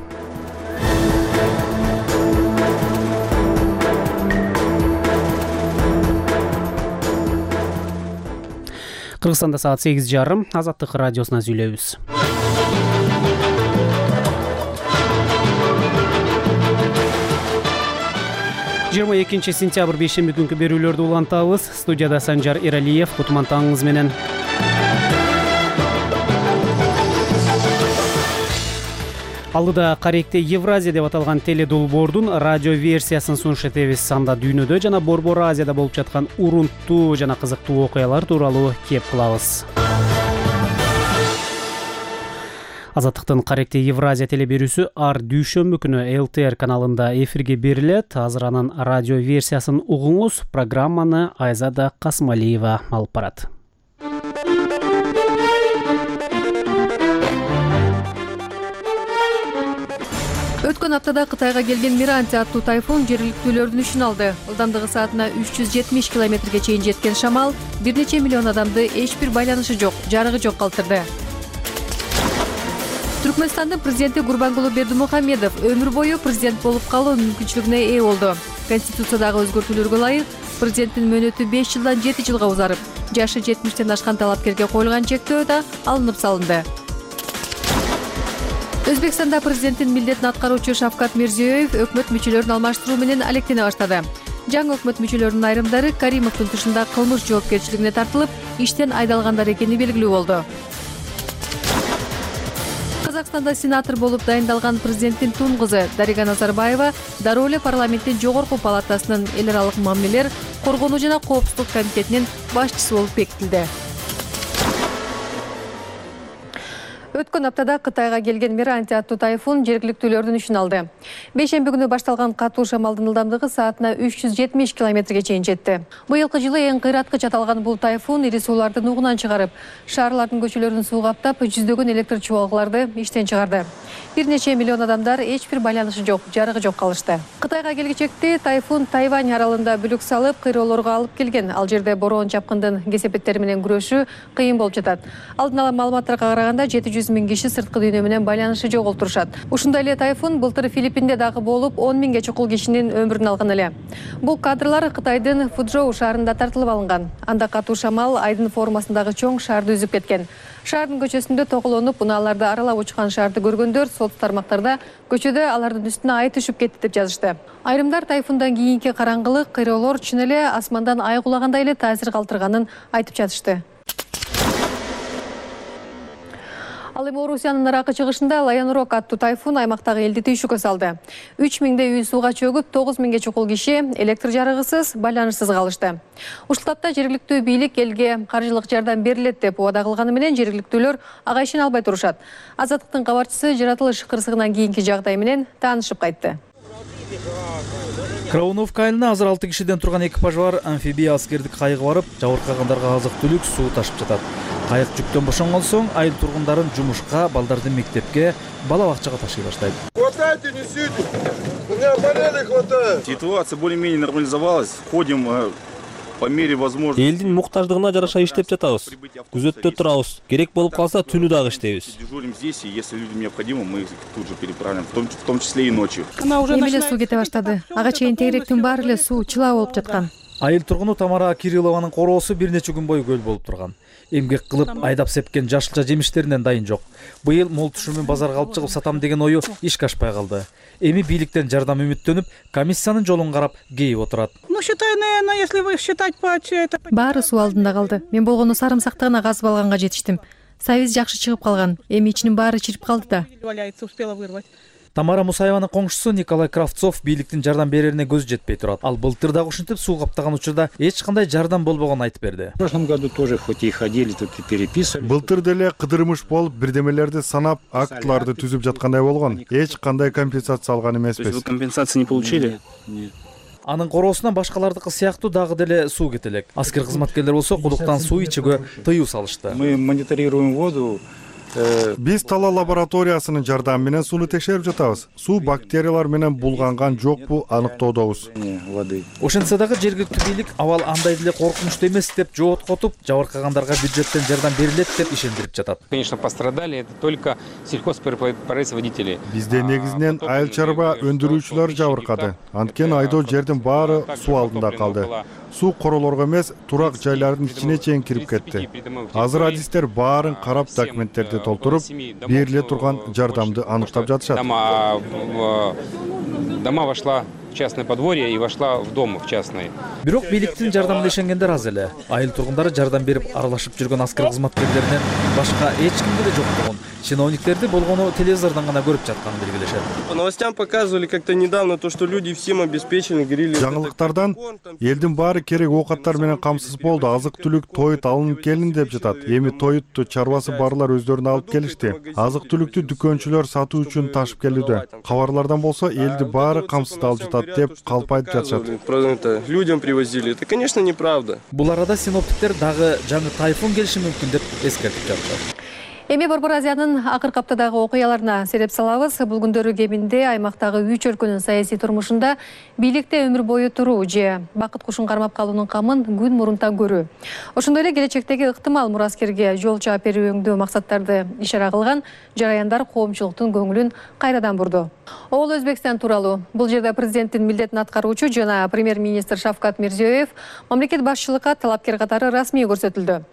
Кыргызстанда саат 8:30. Азаттык радиосуна сүйлөйбүз. Жыйырма 2 сентябрь бейшемби күнкү берүүлөрдү улантабыз. Студияда Санжар Эралиев, кутман таңыңыз менен. Алдыда Каректе Евразия деп аталган теледолбоордун радио версиясын сунуш этебиз. Анда дүйнөдө жана Борбор Азияда болуп жаткан урунттуу жана кызыктуу окуялар тууралуу кеп кылабыз. Азаттыктын Каректе Евразия телеберүүсү ар дүйшөмбү күнү ЛТР каналында эфирге берилет. Азыр анын радио версиясын угуңуз. Программаны Айзада Касмалиева алып барат. Өткөн аптада Кытайга келген Миранти аттуу тайфун жергиликтүүлөрдүн ишин алды. Ылдамдыгы саатына 370 километрге чейин жеткен шамал бир нече миллион адамды эч бир байланышы жок, жарыгы жок калтырды. Түркмөнстандын президенти Гурбангулы Бердимухамедов өмүр бою президент болуп калуу мүмкүнчүлүгүнө ээ болду. Конституциядагы өзгөртүүлөргө ылайык президенттин мөөнөтү 5 жылдан 7 жылга узарып, жашы 70тен ашкан талапкерге коюлган чектөө да алынып салынды. Өзбекстанда президенттин милдетин аткаруучу Шавкат Мирзиёев өкмөт мүчөлөрүн алмаштыруу менен алектене баштады. Жаңы өкмөт мүчөлөрүнүн айрымдары Каримовдун тышында кылмыш жоопкерчилигине тартылып, иштен айдалгандар экени белгилүү болду. Казакстанда сенатор болуп дайындалган президенттин тун кызы Дарига Назарбаева дароо эле парламенттин жогорку палатасынын эл аралык мамилелер, коргонуу жана коопсуздук комитетинин башчысы болуп бекитилди. Өткөн аптада Кытайга келген Миранти аттуу тайфун жергиликтүүлөрдүн ишин алды. Бейшемби күнү башталган катуу шамалдын ылдамдыгы саатына 370 километрге чейин жетти. Быйылкы жылы эң кыйраткыч аталган бул тайфун ири суулардын угунан чыгарып, шаарлардын көчөлөрүн суу каптап, жүздөгөн электр чубалгыларды иштен чыгарды. Бир нече миллион адамдар эч бир байланышы жок, жарыгы жок калышты. Кытайга келгичекте тайфун Тайвань аралында бүлүк салып, кыйроолорго алып келген. Ал жерде бороон чапкындын кесепеттери менен күрөшүү кыйын болуп жатат. Алдын ала маалыматтарга караганда 700 000 киши сырткы дүйнө менен байланышы жоголтурушат. Ушундай эле тайфун былтыр Филиппинде дагы болуп, 10 000ге чукул кишинин өмүрүн алган эле. Бул кадрлар Кытайдын Фуджоу шаарында тартылып алынган. Анда катуу шамал айдын формасындагы чоң шаарды үзүп кеткен. Шаардын көчөсүндө тоголонуп, унааларды аралап учкан шаарды көргөндөр соц тармактарда көчөдө алардын үстүнө ай түшүп кетти деп жазышты. Айрымдар тайфундан кийинки караңгылык, кыйроолор чын эле асмандан ай кулагандай эле таасир калтырганын айтып жатышты. Ал эми Орусиянын наракы чыгышында Лайонрок аттуу тайфун аймактагы элди түйшүккө салды. 3000 үй сууга чөгүп, 9000ге чукул киши электр жарыгысыз, байланышсыз калышты. Ушул тапта жергиликтүү бийлик элге каржылык жардам берилет деп убада кылганы менен жергиликтүүлөр ага ишене албай турушат. Азаттыктын кабарчысы жаратылыш кырсыгынан кийинки жагдай менен таанышып кайтты. Крауновка айылына азыр 6 кишиден турган экипаж бар амфибия аскердик кайыгы барып, жабыркагандарга азык-түлүк, суу ташып жатат. Кайык жүктөн бошонгон соң айыл тургундарын жумушка, балдарды мектепке, бала бакчага ташый баштайт. Хватайте, несите! У меня болели хватает! Ситуация более-менее нормализовалась. Ходим по мере возможности. Элдин муктаждыгына жараша иштеп жатабыз. Күзөттө турабыз. Керек болуп калса түнү дагы иштейбиз. Дежурим здесь, и если людям необходимо, мы их тут же переправим, в том числе и ночью. Эми эле суу кете баштады. Ага чейин тегеректин баары эле суу чыла болуп жаткан. Айыл тургуну Тамара Кириллованын короосу бир нече күн бою көл болуп турган. Эмгек кылып айдап сепкен жашылча жемиштеринен дайын жок. Быйыл мол түшүмүн базарга алып чыгып сатам деген ою ишке ашпай калды. Эми бийликтен жардам үмүттөнүп, комиссиянын жолун карап кейип отурат. Баары суу алдында калды. Мен болгону сарымсакты гана казып алганга жетиштим. Сайыз жакшы чыгып калган. Эми ичинин баары чирип калды да. Тамара Мусаеванын коңшусу Николай Кравцов бийликтин жардам берерине көзү жетпей турат. Ал былтыр дагы ушинтип суу каптаган учурда эч кандай жардам болбогонун айтып берди. Былтыр деле кыдырмыш болуп, бирдемелерди санап, актыларды түзүп жаткандай болгон. Эч кандай компенсация алган эмеспиз. Компенсация не получили? Анын короосуна башкалардыкы сыяктуу дагы деле суу кете элек. Аскер кызматкерлер болсо кудуктан суу ичүүгө тыюу салышты. Мы мониторируем воду. Биз Тала лабораториясынын жардамы менен сууну текшерип жатабыз. Суу бактериялар менен булганган жокпу аныктоодобуз. Ошентсе дагы жергиликтүү бийлик абал андай деле коркунучтуу эмес деп жооп котуп, жабыркагандарга бюджеттен жардам берилет деп ишендирип жатат. Конечно, пострадали это только сельхозпроизводители. Бизде негизинен айыл чарба өндүрүүчүлөр жабыркады. Анткени айдоо жердин баары суу алдында калды. Суу королорго эмес, турак жайлардын ичине чейин кирип кетти. Азыр адистер баарын карап документтерди толтуруп, бериле турган жардамды аныктап жатышат. Дома вошла в частное подворье и вошла в дом в частный. Бирок бийликтин жардамына ишенгендер аз эле. Айыл тургундары жардам берип аралашып жүргөн аскер кызматкерлеринен башка эч кимде да жок болгон. Чиновниктерди болгону телевизордон гана көрүп жатканын белгилешет. По новостям показывали как-то недавно то, что люди всем обеспечены, говорили. Жаңылыктардан элдин баары керек оокаттар менен камсыз болду. Азык-түлүк тоют алынып келин деп жатат. Эми тоютту чарбасы барлар өздөрүнө алып келишти. Азык-түлүктү дүкөнчүлөр сатуу үчүн ташып келүүдө. Кабарлардан болсо элди баары камсыз алып жатат деп калп айтып жатышат. Людям привозили. Это, конечно, неправда. Бул арада синоптиктер дагы жаңы тайфун келиши мүмкүн деп эскертип жатышат. Эми Борбор Азиянын акыркы аптадагы окуяларына сереп салабыз. Бул күндөрү кеминде аймактагы 3 өлкөнүн саясий турмушунда бийликте өмүр бою туруу же бакыт кушун кармап калуунун камын күн мурунтан көрүү. Ошондой эле келечектеги ыктымал мураскерге жол чаап берүүңдүү максаттарды ишара кылган жараяндар коомчулуктун көңүлүн кайрадан бурду. Ол Өзбекстан тууралуу. Бул жерде президенттин милдетин аткаруучу жана премьер-министр Шавкат Мирзиёев мамлекет башчылыкка талапкер катары расмий көрсөтүлдү.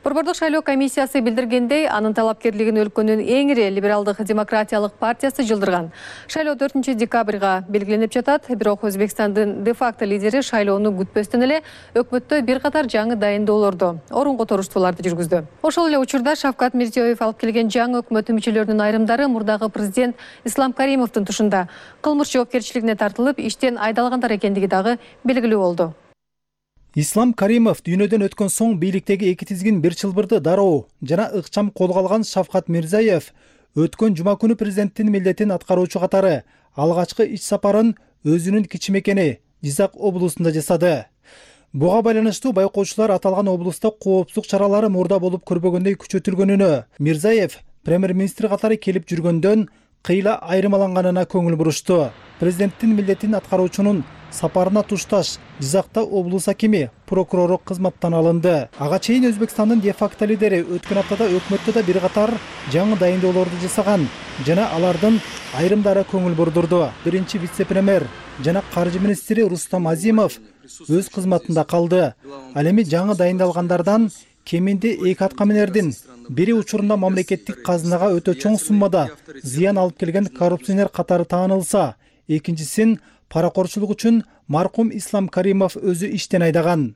Борбордук шайлоо комиссиясы билдиргендей, анын талапкерлигин өлкөнүн эң ири либералдык демократиялык партиясы жылдырган. Шайлоо 4 декабрга белгиленип жатат, бирок Өзбекстандын де-факто лидери шайлоону күтпөстөн эле өкмөттө бир катар жаңы дайындоолорду, орун которуштууларды жүргүздү. Ошол эле учурда Шавкат Мирзиёев алып келген жаңы өкмөт мүчөлөрүнүн айрымдары мурдагы президент Ислам Каримовдун тушунда кылмыш жоопкерчилигине тартылып, иштен айдалгандар экендиги дагы белгилүү болду. Ислам Каримов дүйнөдөн өткөн соң бийликтеги эки тизгин бир чылбырды дароо жана ыкчам колго алган Шавкат Мирзиёев өткөн жума күнү президенттин милдетин аткаруучу катары алгачкы ич сапарын өзүнүн кичи мекени Жизак облусунда жасады. Буга байланыштуу байкоочулар аталган облуста коопсуздук чаралары мурда болуп көрбөгөндөй күчөтүлгөнүнө, Мирзиёев премьер-министр катары келип жүргөндөн кыйла айырмаланганына көңүл бурушту. Президенттин милдетин аткаруучунун сапарына тушташ Жизакта облус акими, прокурору кызматтан алынды. Ага чейин Өзбекстандын де-факто лидери өткөн аптада өкмөттө да бир катар жаңы дайындоолорду жасаган жана алардын айрымдары көңүл бурдурду. Биринчи вице-премьер жана каржы министри Рустам Азимов өз кызматында калды. Ал эми жаңы дайындалгандардан кеминде эки аткаминердин бири учурунда мамлекеттик казынага өтө чоң суммада зыян алып келген коррупционер катары таанылса, экинчисин паракорчулук үчүн маркум Ислам Каримов өзү иштен айдаган.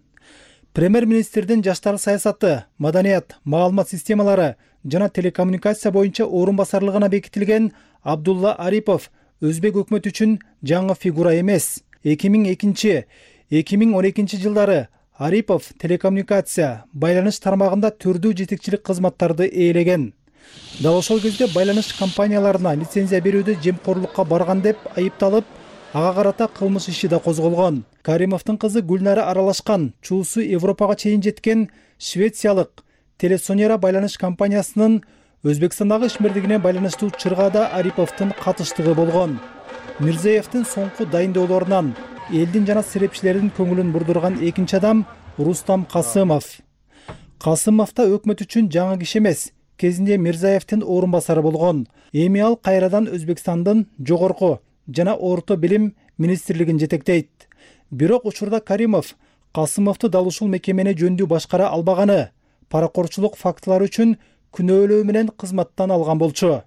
Премьер-министрдин жаштар саясаты, маданият, маалымат системалары жана телекоммуникация боюнча орун басарлыгына бекитилген Абдулла Арипов өзбек өкмөтү үчүн жаңы фигура эмес. 2002-2012 жылдары Арипов телекоммуникация, байланыш тармагында түрдүү жетекчилик кызматтарды ээлеген. Дал ошол кезде байланыш компанияларына лицензия берүүдө жемкорлукка барган деп айыпталып, ага карата кылмыш иши да козголгон. Каримовдун кызы Гүлнара аралашкан, чуусу Европага чейин жеткен швециялык Телесонера байланыш компаниясынын Өзбекстандагы ишмердигине байланыштуу чыргаада Ариповдун катыштыгы болгон. Мирзиёевдин соңку дайындоолорунан элдин жана серепчилердин көңүлүн бурдурган экинчи адам Рустам Касымов. Касымов да өкмөт үчүн жаңы киши эмес, кезинде Мирзиёевдин орун басары болгон. Эми ал кайрадан Өзбекстандын жогорку жана орто билим министрлигин жетектейт. Бирок учурда Каримов Касымовду дал ушул мекемени жөндүү башкара албаганы, паракорчулук фактылары үчүн күнөөлөө менен кызматтан алган болчу.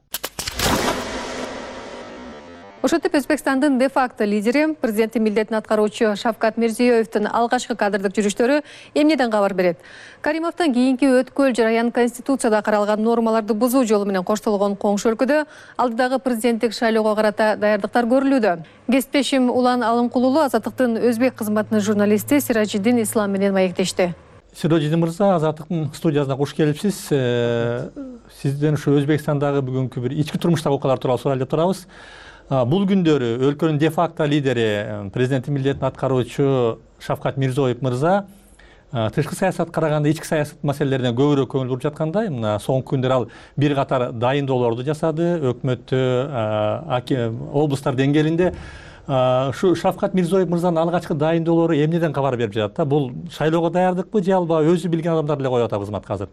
Ошентип Өзбекстандын де-факто лидери, президенттин милдетин аткаруучу Шавкат Мирзиёевдин алгачкы кадрдык жүрүштөрү эмнеден кабар берет? Каримовдон кийинки өткөл жараян Конституцияда каралган нормаларды бузуу жолу менен коштолгон коңшу өлкөдө алдыдагы президенттик шайлоого карата даярдыктар көрүлүүдө. Кесиптешим Улан Алымкулулу Азаттыктын өзбек кызматынын журналисти Сиражиддин Ислам менен маектешти. Сиражиддин мырза, Азаттыктын студиясына куш келипсиз. Сизден ушу Өзбекстандагы бүгүнкү бир ички турмуштагы окуялар тууралуу сурайлы деп турабыз. Бул күндөрү өлкөнүн де-факто лидери, президенттин милдетин аткаруучу Шавкат Мирзиёев мырза тышкы саясат караганда ички саясат маселелерине көбүрөөк көңүл буруп жаткандай. Мына соңку күндөр ал бир катар дайындоолорду жасады, өкмөттө, облустар деңгээлинде. Ушу Шавкат Мирзиёев мырзанын алгачкы дайындоолору эмнеден кабар берип жатат да? Бул шайлоого даярдыкпы же алба өзү билген адамдар эле коюп атат кызматка азыр?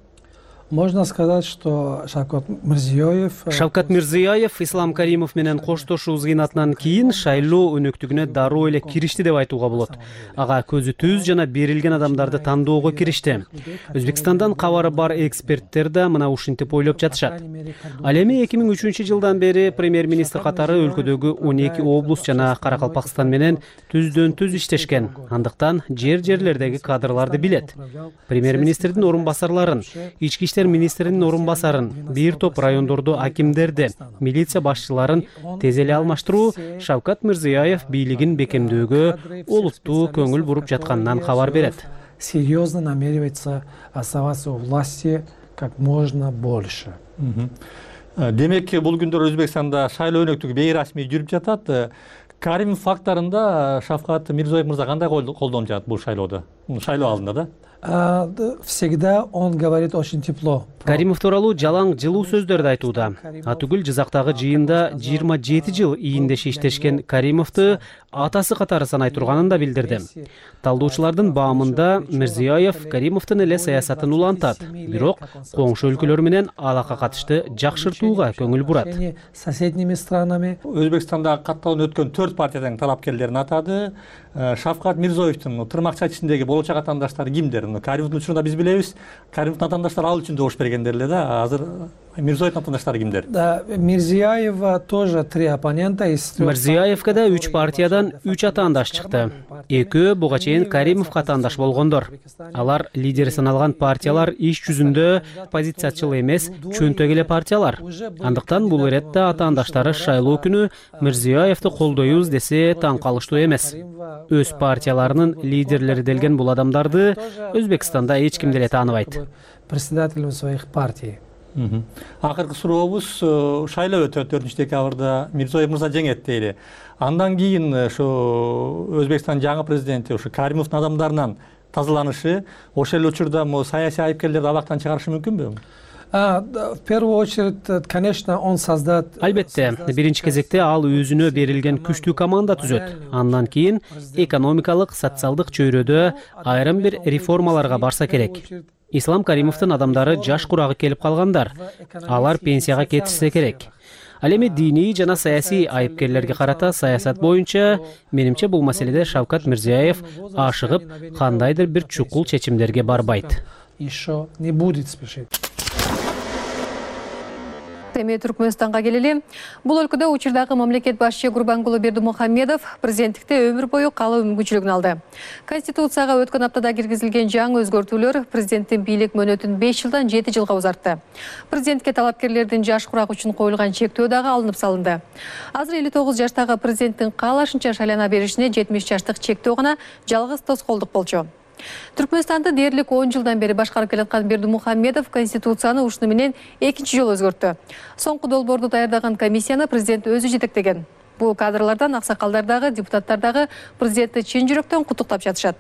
Можно сказать, что Шавкат Мирзиёев Ислам Каримов менен коштошуу кыйнатынан кийин шайлоо өнөктүгүнө дароо эле киришти деп айтууга болот. Ага көзү түз жана берилген адамдарды тандоого киришти. Өзбекстандан кабары бар эксперттер да мына ушинтип ойлоп жатышат. Ал эми 2003-жылдан бери премьер-министр катары өлкөдөгү 12 облус жана Каракалпакстан менен түздөн түз иштешкен. Андыктан жерлердеги кадрларды билет. Премьер-министрдин орун басарларын, ички иштер министринин орун басарын, бир топ райондордо акимдерди, милиция башчыларын тез эле алмаштыруу Шавкат Мирзиёев бийлигин бекемдөөгө олуттуу көңүл буруп жатканынан кабар берет. Серьезно намеревается оставаться у власти как можно больше. Демек, бул күндөр Өзбекстанда шайлоо өнөктүгү бейрасмий жүрүп жатат. Каримов фактарында Шавкат Мирзиёев мырза кандай колдонуп жатат бул шайлоодо? Шайлоо алдында да? Всегда он говорит очень тепло. Каримов тууралуу жалаң жылуу сөздөрдү айтууда. Атүгүл Жизактагы жыйында 27 жыл ийиндеши иштешкен Каримовду атасы катары санай турганын да билдирди. Талдоочулардын баамында Мирзиёев Каримовдун эле саясатын улантат, бирок коңшу өлкөлөр менен алака катышты жакшыртууга көңүл бурат. Соседними странами Өзбекстанда катталып өткөн 4 партиядан талапкерлерин атады. Шавкат Мирзиёевдин тырмакча ичиндеги болочок атаандаштары кимдер? Каримовдун учурунда биз билебиз, Каримовдун атаандаштары ал үчүн добуш бергендер эле да. Азыр Мирзиёевдин атаандаштары кимдер? Да, Мирзиёева тоже 3 оппонента из 3. Мирзиёевке да 3 партиядан 3 атаандаш чыкты. Экөө буга чейин Каримовго атаандаш болгондор. Алар лидери саналган партиялар иш жүзүндө позициячыл эмес, чөнтөк эле партиялар. Андыктан бул иретте атаандаштары шайлоо күнү Мирзиёевди колдойбуз десе таң калыштуу эмес. Өз партияларынын лидерлери делген бул адамдарды Өзбекстанда эч ким деле тааныбайт. Председателем своих партий. Акыркы сурообуз, шайлоо өтөт 4-декабрда, Мирзиёев мырза жеңет дейли. Андан кийин ошо Өзбекстандын жаңы президенти ошо Каримовдун адамдарынан тазаланышы, ошол эле учурда саясий айыпкерлерди абактан чыгарышы мүмкүнбү? В первую очередь, конечно, он создат... Албетте, биринчи кезекте ал өзүнө берилген күчтүү команда түзөт. Андан кийин экономикалык, социалдык чөйрөдө айрым бир реформаларга барса керек. Ислам Каримовдун адамдары жаш курагы келип калгандар. Алар пенсияга кетишсе керек. Ал эми диний жана саясий айыпкерлерге карата саясат боюнча, менимче бул маселеде Шавкат Мирзиёев ашыгып, кандайдыр бир чукул чечимдерге барбайт. Еще не будет спешить. Эми Түркмөнстанга келели. Бул өлкөдө учурдагы мамлекет башчы Гурбангулы Бердимухамедов президенттикте өмүр бою калуу мүмкүнчүлүгүн алды. Конституцияга өткөн аптада киргизилген жаңы өзгөртүүлөр президенттин бийлик мөөнөтүн 5 жылдан 7 жылга узартты. Президентке талапкерлердин жаш курак үчүн коюлган чектөө дагы алынып салынды. Азыр 59 жаштагы президенттин каалашынча шайлана беришине 70 жаштык чектөө гана жалгыз тоскоолдук болчу. Түркмөнстанды дээрлик 10 жылдан бери башкарып келаткан Бердимухамедов Конституцияны ушуну менен экинчи жолу өзгөрттү. Соңку долбоорду даярдаган комиссияны президент өзү жетектеген. Бул кадрлардан аксакалдардагы, депутаттардагы президентти чын жүрөктөн куттуктап жатышат.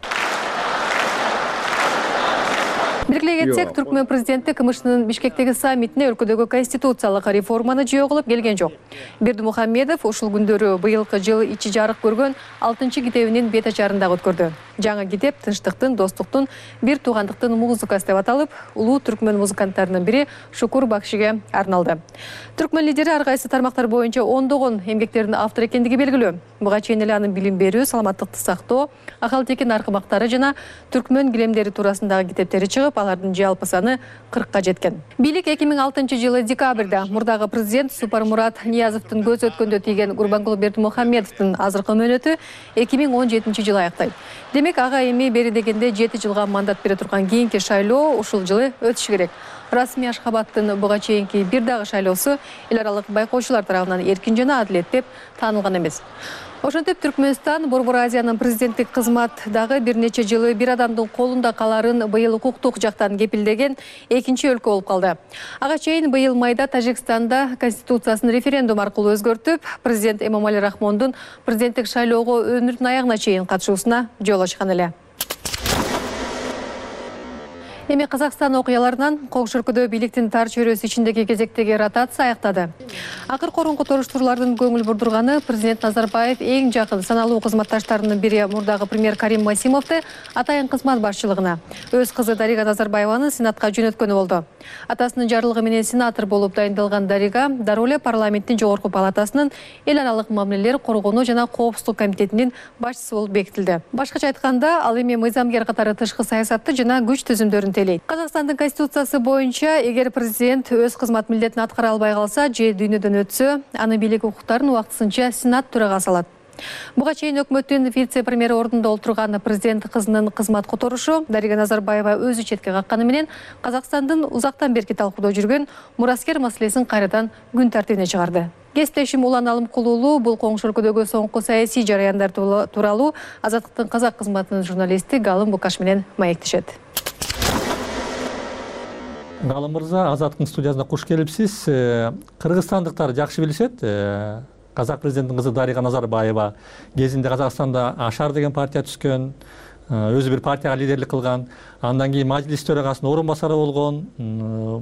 Белгилей кетсек, Түркмөн президенти КМШнын Бишкектеги саммитине өлкөдөгү конституциялык реформаны жөө кылып келген жок. Бердимухамедов ушул күндөрү быйылкы жыл ичи жарык көргөн 6-китебинин бет ачарын дагы өткөрдү. Жаңы китеп тынчтыктын, достуктун, бир туугандыктын музыкасы деп аталып, улуу түркмөн музыканттарынын бири Шукур Бакшиге арналды. Түркмөн лидери ар кайсы тармактар боюнча ондогон эмгектердин автор экендиги белгилүү. Буга чейин эле анын билим берүү, саламаттыкты сактоо, акыл-текин аркымактары жана түркмөн килемдери туурасындагы китептери чыгып, алардын жалпы саны 40ка жеткен. Бийлик 2006-жылы декабрда мурдагы президент Супармурат Ниязовдун көз өткөндө тийген Гурбангул Бердимухамедовдун азыркы мөөнөтү 2017-жылы аяктайт. Демек, ага эми бери дегенде 7 жылга мандат бере турган кийинки шайлоо ушул жылы өтүшү керек. Расмий Ашхабадтын буга чейинки бир дагы шайлоосу эл аралык байкоочулар тарабынан эркин жана адилет деп таанылган эмес. Ошентип Түркмөнстан Борбор Азиянын президенттик кызматындагы бир нече жылы бир адамдын колунда каларын быйыл укуктук жактан кепилдеген экинчи өлкө болуп калды. Ага чейин быйыл майда Тажикстанда конституциясын референдум аркылуу өзгөртүп, президент Эмомали Рахмондун президенттик шайлоого өмүрүнүн аягына чейин катышуусуна жол ачкан эле. Эми Казакстан окуяларынан коңшу өлкөдө бийликтин тар чөйрөсү ичиндеги кезектеги ротация аяктады. Акыркы орунку торуштуруулардын көңүл бурдурганы президент Назарбаев эң жакын саналуу кызматташтарынын бири мурдагы премьер Карим Масимовду атайын кызмат башчылыгына, өз кызы Дарига Назарбаеваны Сенатка жөнөткөнү болду. Атасынын жарлыгы менен сенатор болуп дайындалган Дарига дароо эле парламенттин жогорку палатасынын эл аралык мамилелер коргонуу жана коопсуздук комитетинин башчысы болуп бекитилди. Башкача айтканда, ал эми мыйзамгер катары тышкы саясатты жана күч түзүмдөрүн Казакстандын конституциясы боюнча, эгер президент өз кызмат милдетин аткара албай калса же дүйнөдөн өтсө, анын бийлик укуктарын убактысынча Сенат төрагасы алат. Буга чейин өкмөттүн вице-премьери ордунда отурган президент кызынын кызмат которушу Дарига Назарбаева өзү четке какканы менен Казакстандын узактан берки талкуудо жүргөн мураскер маселесин кайрадан күн тартибине чыгарды. Кесиптешим Улан Алымкулуулу бул коңшу өлкөдөгү соңку саясий жараяндар тууралуу Азаттыктын казак кызматынын журналисти Галым Букаш менен маектешет. Галым мырза, Азаттыктын студиясына куш келипсиз. Кыргызстандыктар жакшы билишет. Казак президенттин кызы Дарига Назарбаева кезинде Казакстанда Ашар деген партия түзгөн, өзү бир партияга лидерлик кылган, андан кийин мажлис төрагасынын орун басары болгон,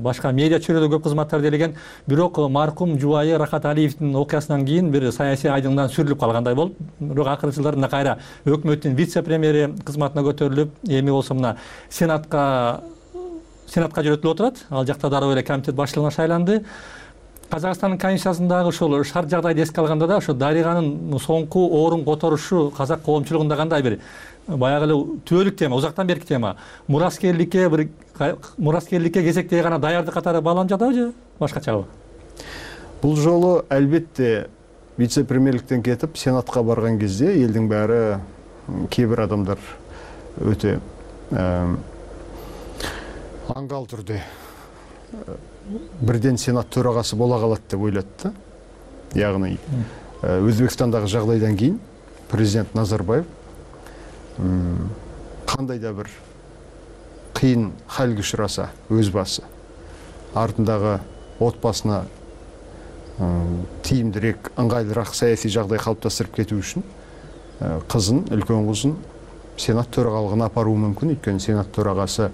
башка медиа чөйрөдө көп кызматтарды элеген. Бирок маркум жубайы Рахат Алиевдин окуясынан кийин бир саясий айдыңдан сүрүлүп калгандай болуп, бирок акыркы жылдарда кайра өкмөттүн вице-премьери кызматына көтөрүлүп, эми болсо мына Сенатка жөнөтүлүп отурат. Ал жакта дароо эле комитет башчылыгына шайланды. Казакстандын конституциясындагы ушул шарт жагдайды эске алганда да, ошо Дариганын соңку орун которушу казак коомчулугунда кандай бир баягы эле түбөлүк тема, узактан берки тема. Мураскерликке кезектеги гана даярдык катары бааланып жатабы же башкачабы? Бул жолу албетте вице-премьерликтен кетип Сенатка барган кезде элдин баары, кээ бир адамдар өтө аңгал түрдө бирден Сенат төрагасы бола калат деп ойлойт да. Ягны Өзбекстандагы жагдайдан кийин президент Назарбаев кандай да бир кыйын халге учураса, өз басы артындагы отбасына тийимдирээк, ыңгайлуураак саясий жагдай калыптастырып кетүү үчүн кызын, үлкөн кызын Сенат төрагалыгына апаруу мүмкүн. Өйткөнү Сенат төрагасы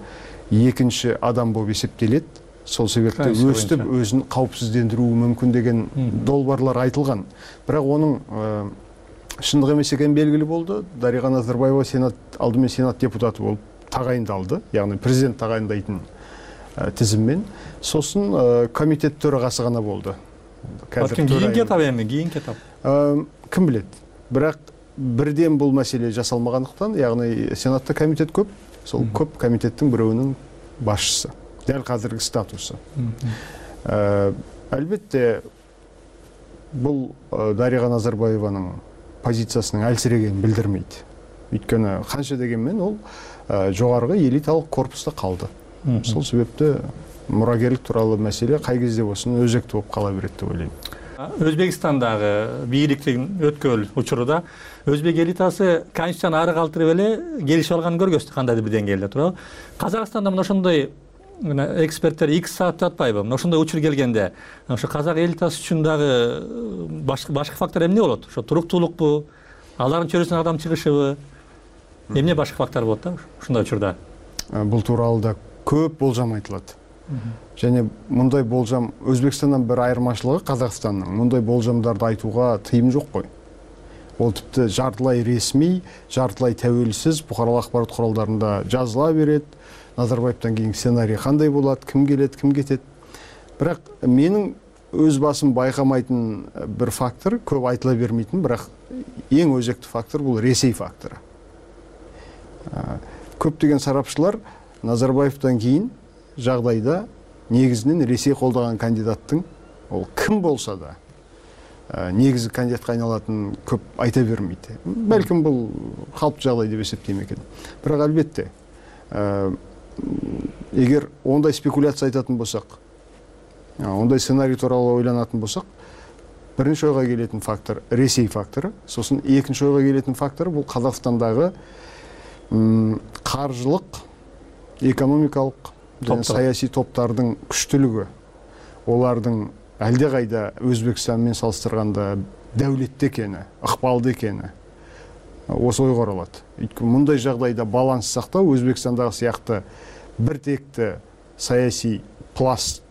экинчи адам болуп эсептелет. Сол себептен өстүп өзүн каупсиздендирүү мүмкүн деген долбоорлор айтылган. Бирок онун шындык эмес экени белгилүү болду. Дарига Назарбаева алдымен Сенат депутаты болуп тагайындалды. Ягни президент тагайындайтын тизиммен. Сосын комитет төрагасы гана болду. Кийинки этап эми, кийинки этап. Ким билет. Бирок бирден бул маселе жасалмагандыктан, ягни Сенатта комитет көп. Сол көп комитеттин бирөөнүн башчысы. Дәл қазіргі статусы. Әлбетте, бұл Дарига Назарбаеваның позициясының әлсірегенін білдірмейді. Өйткені қанша дегенмен ол жоғарғы элиталық корпуста қалды. Сол себепті мұрагерлік туралы мәселе қай кезде болсын өзекті болып қала береді деп ойлаймын. Өзбекстандагы бийликтин өткөл учуруда өзбек элитасы конституцияны ары калтырып эле келишип алганын көргөздү, кандайдыр бир деңгээлде туурабы. Казакстанда мына ошондой эксперттер 2 саат жатпайбы? Ошондой учур келгенде, ошо казак элитасы үчүн дагы башка фактор эмне болот? Ошо туруктуулукпу, алардын чөйрөсүнөн адам чыгышыбы? Эмне башка фактор болот да ушундай учурда? Бул тууралуу да көп болжам айтылат. Және мындай болжам Өзбекстандан бир айырмачылыгы Казакстандын мындай болжамдарды айтууга тыйым жок кой. ол тіпті жартылай ресми, жартылай тәуелсіз бұқаралық ақпарат құралдарында жазыла береді. Назарбаевтан кейін сценарий қандай болады, кім келеді, кім кетеді. Бірақ менің өз басым байқамайтын бір фактор, көп айтыла бермейтін, бірақ ең өзекті фактор бұл Ресей факторы. Көптеген сарапшылар Назарбаевтан кейін жағдайда негізінен Ресей қолдаған кандидаттың, ол кім болса да, негізгі кандидатқа айналатын көп айта бермейді. Бәлкім бұл қалыпты жағдай деп есептеймін екен. Бірақ әлбетте, егер ондай спекуляция айтатын болсақ, ондай сценарий туралы ойланатын болсақ, бірінші ойға келетін фактор Ресей факторы, сосын екінші ойға келетін фактор бұл Қазақстандағы қаржылық, экономикалық және саяси топтардың күштілігі. Олардың әлдеқайда Өзбекстанмен салыстырғанда дәулетті екені, ықпалды екені осы ойға оралады. Өйткені мұндай жағдайда баланс сақтау Өзбекстандағы сияқты бір текті саяси пласт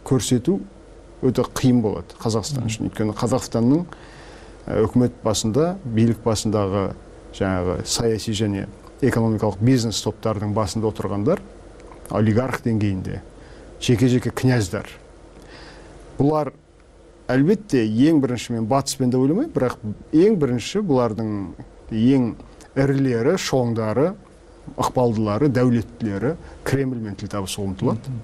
көрсету өте қиын болады Қазақстан үшін. Өйткені Қазақстанның үкімет басында, билік басындағы жаңағы саяси және экономикалық бизнес топтардың басында отырғандар олигарх деңгейінде жеке-жеке князьдар. Бұлар әлбетте ең бірінші, мен батыспен де ойламаймын, бірақ ең бірінші бұлардың ең ірілері, шоңдары, ықпалдылары, дәулеттілері Кремльмен тіл табысуға ұмтылады.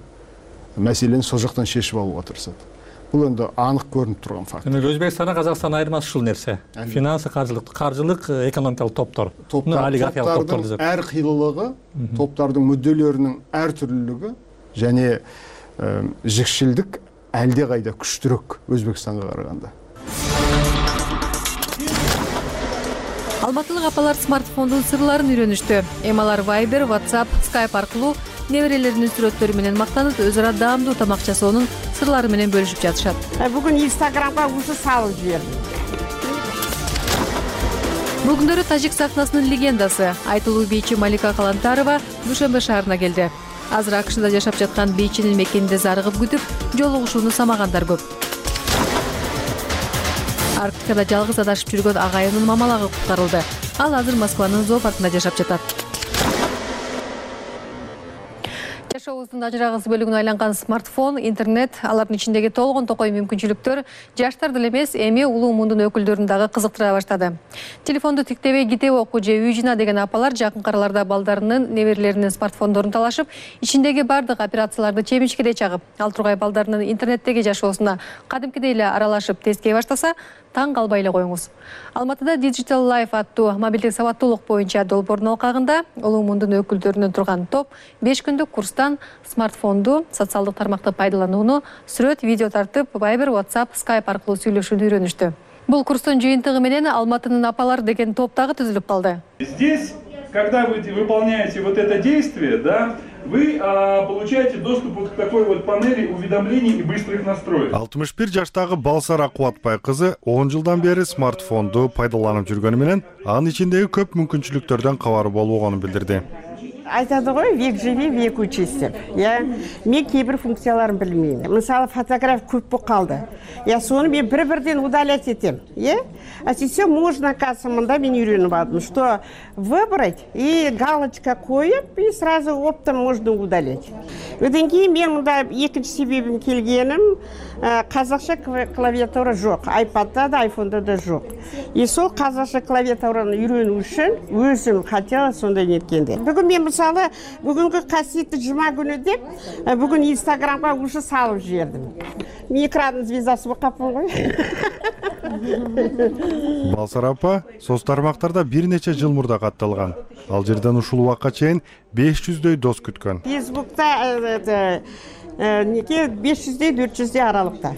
Мәселені сол жақтан шешіп алуға тырысады. Бұл енді анық көрініп тұрған факт. Өзбекстанда Қазақстан айырмасы ушул нерсе. Финансы, қаржылық, экономикалық топтар. Топтардың әр қилылығы, топтардың мүдделерінің әр түрлілігі және жікшілдік әлде қайда күштірек Өзбекстанға қарағанда. Алматылық апалар смартфондун сырларын үйрөнүштү. Эмалар Viber, WhatsApp, Skype аркылуу неберелеринин сүрөттөрү менен мактанып, өз ара даамдуу тамак жасоонун сырлары менен бөлүшүп жатышат. Бүгүн Instagramга уже салып жибердим. Бул күндөрү тажик сахнасынын легендасы айтылуу бийчи Малика Калантарова Душанбе шаарына келди. Азыр АКШда жашап жаткан бийчинин мекенинде зарыгып күтүп, жолугушууну самагандар көп. Арктикада жалгыз адашып жүргөн агайынын мамалагы куткарылды. Ал азыр Москванын зоопаркында жашап жатат. Жашообуздун ажырагыс бөлүгүнө айланган смартфон, интернет, алардын ичиндеги толгон токой мүмкүнчүлүктөр жаштар деле эмес, эми улуу мундун өкүлдөрүн дагы кызыктыра баштады. Телефонду тиктебей китеп окуу же үй жина деген апалар жакынкы араларда балдарынын, неберелеринин смартфондорун талашып, ичиндеги бардык операцияларды чемишкеде чагып, ал тургай балдарынын интернеттеги жашоосуна кадимкидей эле аралашып тескей баштаса, таң калбай эле коюңуз. Алматыда Digital Life аттуу мобилдик сабаттуулук боюнча долбоордун алкагында улуу мундун өкүлдөрүнөн турган топ 5 күндүк курстан смартфонду, социалдык тармакты пайдаланууну, сүрөт, видео тартып, Viber, WhatsApp, Skype аркылуу сүйлөшүүнү үйрөнүштү. Бул курстун жыйынтыгы менен Алматынын апалар деген топ дагы түзүлүп калды. Здесь, когда вы выполняете вот это действие, да, вы получаете доступ к такой вот панели уведомлений и быстрых настроек. 61 жаштагы Балсара Кубатбай кызы 10 жылдан бери смартфонду пайдаланып жүргөнү менен анын ичиндеги көп мүмкүнчүлүктөрдөн кабары болгонун билдирди. Айтады ғой, век живи, век учись деп. Мен кейбір функцияларын білмеймін. Мысалы, фотограф көп болып қалды. Соны мен бір-бірден удалять етем. А сейчас можно, оказывается, мында мен үйреніп алдым, что выбрать и галочка қойып, и сразу оптом можно удалять. Одан кейін мен мында екінші себебім келгенім, қазақша клавиатура жоқ. iPad'да да, iPhone'да да жоқ. И сол қазақша клавиатураны үйрену үшін өзім хотела сондай неткенде. Бүгін мен мысалы, бүгінгі қасиетті жұма күні деп, бүгін Инстаграмға уже салып жібердім. Мен экранның звездасы болып қаппын ғой. Балсара апа соц тармактарда бир нече жыл мурда катталган. Ал жерден ушул убакка чейин 500дөй дос күткөн. Фейсбукта 500-дей 400-дей аралыкта.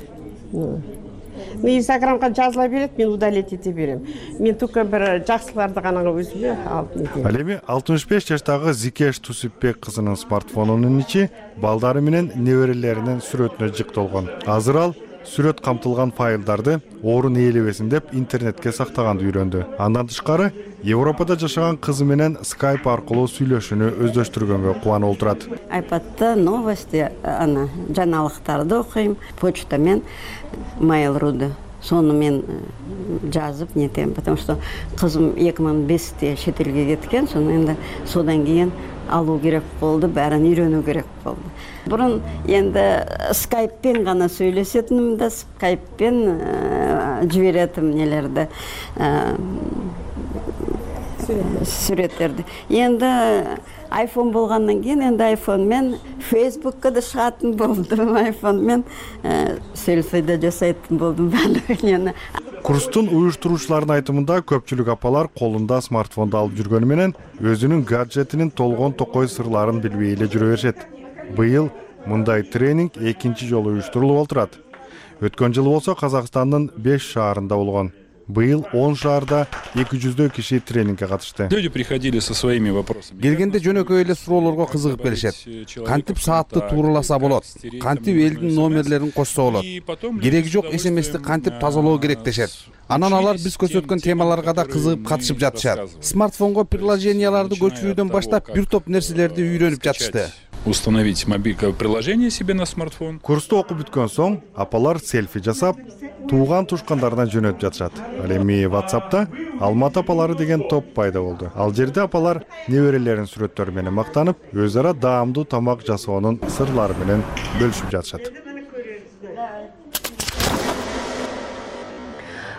Инстаграмга жазыла берет, мен удалить ете берем. Мен только бир жакшыларды гана өзүмө алып нетем. Ал эми 65 жаштагы Зикеш Тусипбек кызынын смартфонунун ичи балдары менен неберелеринин сүрөтүнө жыкталган. Азыр ал сүрөт камтылган файлдарды орун ээлебесин деп интернетке сактаганды үйрөндү. Андан тышкары Европада жашаган кызы менен Skype аркылуу сүйлөшүүнү өздөштүргөнгө кубанып отурат. iPad'da новости, жаңалыктарды окуйм, почтамен Mail.ru Соны мен жазып нетем, потому что кызым 2005-те шет элге кеткен, соны енді содан кейін алуу керек болды, бәрін үйрөнүү керек болды. Бұрын енді скайппен ғана сөйлесетінім да, скайппен жіберетім нелерді, суреттерді. Енді iPhone болғаннан кейін, енді iPhone-мен Facebook'ка да шығатын болдым, iPhone-мен селфи да жасайтын болдым бәлігінені. Курстун уюштуруучулардын айтымында көпчүлүк апалар колунда смартфонду алып жүргөнү менен өзүнүн гаджетинин толгон токой сырларын билбей эле жүрө беришет. Быйыл мындай тренинг экинчи жолу уюштурулуп отурат. Өткөн жылы болсо Казакстандын 5 шаарында болгон. Быйыл 10 шаарда 200 киши тренингге катышты. Люди приходили со своими вопросами. Келгенде жөнөкөй эле суроолорго кызыгып келишет. Кантип саатты туураласа болот? Кантип элдин номерлерин кошсо болот? Кереги жок SMS-ти кантип тазалоо керек дешет. Анан алар биз көрсөткөн темаларга да кызыгып катышып жатышат. Смартфонго приложенияларды көчүрүүдөн баштап бир топ нерселерди үйрөнүп жатышты. Установить мобильное приложение себе на смартфон. Курсту окуп бүткөн соң апалар селфи жасап, тууган тушкандарына жөнөтүп жатышат. Ал эми WhatsApp'та Алматы апалары деген топ пайда болду. Ал жерде апалар неберелерин сүрөттөрү менен мактанып, өз ара даамдуу тамак жасоонун сырлары менен бөлүшүп жатышат.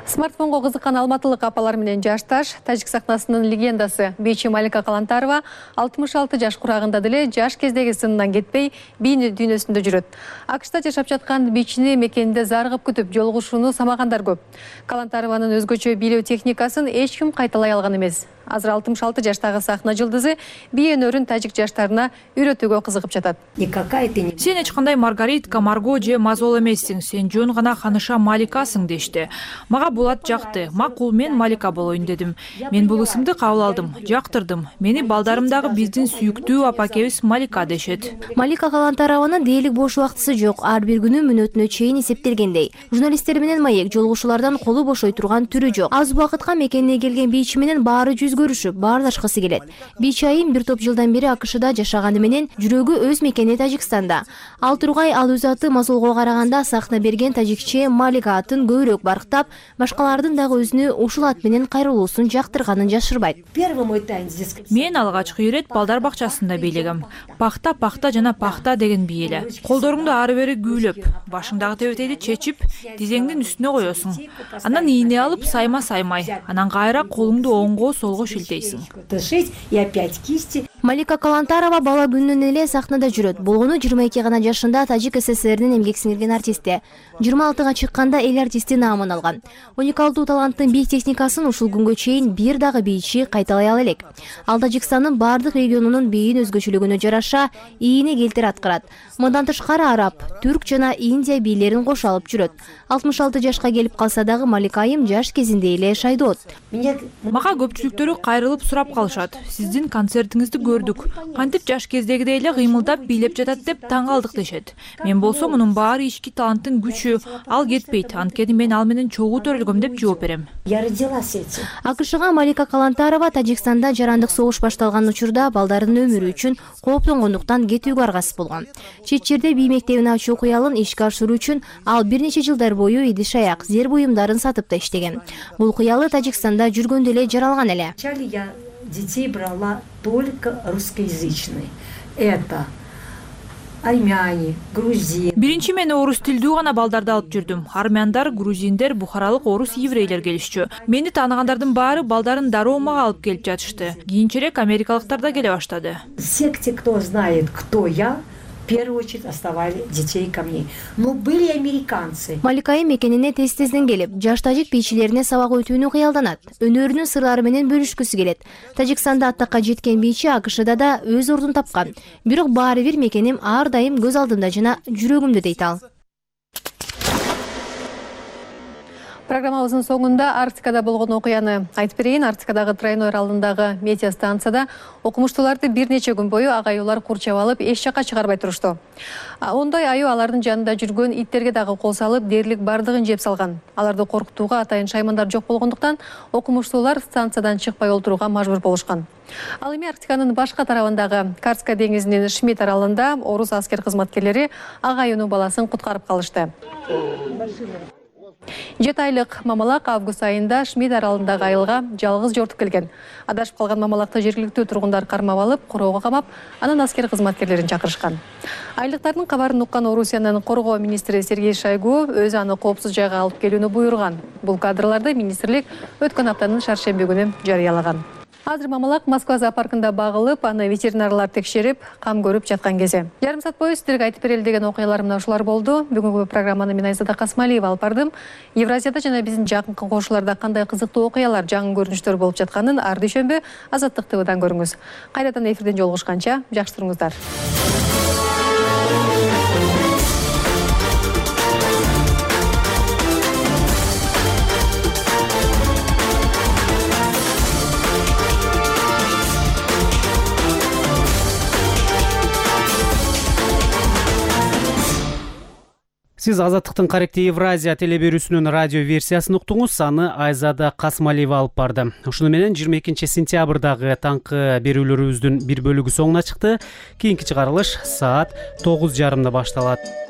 Смартфонго кызыккан алматылык апалар менен жашташ тажик сахнасынын легендасы бийчи Малика Калантарова 66 жаш курагында деле жаш кездеги сынынан кетпей бийин дүйнөсүндө жүрөт. АКШта жашап жаткан бийчини мекенинде заргып күтүп жолугушууну самагандар көп. Калантарованын өзгөчө бийлөө техникасын эч ким кайталай алган эмес. Азыр 66 жаштагы сахна жылдызы бий өнөрүн тажик жаштарына үйрөтүүгө кызыгып жатат. Сен эч кандай Маргаритка, Марго же Мазол эмессиң, сен жөн гана Ханыша Маликасың дешти. Мага булат жакты. Макул, мен Малика болоюн дедим. Мен бул ысымды кабыл алдым, жактырдым. Мени балдарымдагы биздин сүйүктүү апакебиз Малика дешет. Малика Калантарованын дээлик бош убактысы жок. Ар бир күнү мүнөтүнө чейин эсептелгендей. Журналисттер менен маек жолугушуулардан колу бошой турган түрү жок. Аз убакытка мекенине келген бийчи менен баары көрүшүп, баардашкысы келет. Бийчи айым бир топ жылдан бери АКШда жашаганы менен жүрөгү өз мекени Тажикстанда. Ал тургай ал өз аты Мазолго караганда сахна берген тажикче Малика атын көбүрөөк барктап, башкалардын дагы өзүнө ушул ат менен кайрылуусун жактырганын жашырбайт. Мен алгачкы ирет балдар бакчасында бийлегем. Пахта жана пахта деген бий эле. Колдоруңду ары бери күүлөп, башыңдагы тебетейди чечип, тизеңдин үстүнө коесуң. Анан ийне алып сайма-саймай, анан кайра колуңду оңго солго шилтейсиң. Малика Калантарова бала күнүнөн эле сахнада жүрөт. Болгону 22 гана жашында Тажик СССРдин эмгек сиңирген артисти. 26-га чыкканда эл артисти наамын алган. Уникалдуу таланттын бий техникасын ушул күнгө чейин бир дагы бийчи кайталай ала элек. Ал Тажикстандын бардык регионунун бийин өзгөчөлүгүнө жараша ийине келтир аткарат. Мындан тышкары араб, түрк жана Индия бийлерин кошо алып жүрөт. 66 жашка келип калса дагы Малика айым жаш кезинде эле шайдоот. Мага көпчүлүктөрү кайрылып сурап калышат. Сиздин концертиңизди көрдүк. Кантип жаш кездегидей эле кыймылдап бийлеп жатат деп таң калдык дешет. Мен болсо мунун баары ички таланттын күчү, ал кетпейт. Анткени мен ал менен чогуу төрөлгөм деп жооп берем. АКШга Малика Калантарова Тажикстанда жарандык согуш башталган учурда балдардын өмүрү үчүн кооптонгондуктан кетүүгө аргасыз болгон. Чет жерде бий мектебин ачуу кыялын ишке ашыруу үчүн ал бир нече жылдар бою идиш-аяк, зер буюмдарын сатып да иштеген. Бул кыялы Тажикстанда жүргөндө эле жаралган эле. Я детей брала только русскоязычные. Это армяне, грузин. Биринчи мен орус тилдүү гана балдарды алып жүрдүм. Армяндар, грузиндер, бухаралык орус еврейлер келишчү. Мени таанагандардын баары балдарын дароо мага алып келип жатышты. Кийинчерээк америкалыктар да келе баштады. Все, кто знает, кто я, в первую очередь оставали детей ко мне. Но были американцы. Малика айым мекенине тез-тезден келип, жаш тажик бийчилерине сабак өтүүнү кыялданат. Өнөрүнүн сырлары менен бөлүшкүсү келет. Тажикстанда аттакка жеткен бийчи АКШда да өз ордун тапкан. Бирок баары бир мекеним ар дайым көз алдымда жана жүрөгүмдө дейт ал. Программабыздын соңунда Арктикада болгон окуяны айтып берейин. Арктикадагы Тройной аралындагы метеостанцияда окумуштууларды бир нече күн бою агаюулар курчап алып, эч жакка чыгарбай турушту. Ондай аюу алардын жанында жүргөн иттерге дагы кол салып, дээрлик бардыгын жеп салган. Аларды коркутууга атайын шаймандар жок болгондуктан окумуштуулар станциядан чыкпай олтурууга мажбур болушкан. Ал эми Арктиканын башка тарабындагы Карска деңизинин Шмидт аралында орус аскер кызматкерлери агаюунун баласын куткарып калышты. 7 айлык мамалак август айында Шмид аралындагы айылга жалгыз жортуп келген. Адашып калган мамалакты жергиликтүү тургундар кармап алып, короого камап, анан аскер кызматкерлерин чакырышкан. Айлыктардын кабарын уккан Орусиянын коргоо министри Сергей Шойгу өзү аны коопсуз жайга алып келүүнү буйруган. Бул кадрларды министрлик өткөн аптанын шаршемби күнү жарыялаган. Азыр мамалак Москва зоопаркында багылып, аны ветеринарлар текшерип, кам көрүп жаткан кези. Жарым саат бою сиздерге айтып берели деген окуялар мына ушулар болду. Бүгүнкү программаны мен Айзада Касмалиева алып бардым. Евразияда жана биздин жакынкы кошуларда кандай кызыктуу окуялар, жаңы көрүнүштөр болуп жатканын ар дүйшөмбү Азаттык ТВдан көрүңүз. Кайрадан эфирден жолугушканча жакшы туруңуздар. Сиз Азаттыктын Каректи Евразия телеберүүсүнүн радио версиясын уктуңуз. Аны Айзада Касмалиева алып барды. Ушуну менен 22 сентябрдагы таңкы берүүлөрүбүздүн бир бөлүгү соңуна чыкты. Кийинки чыгарылыш саат 9:30 башталат.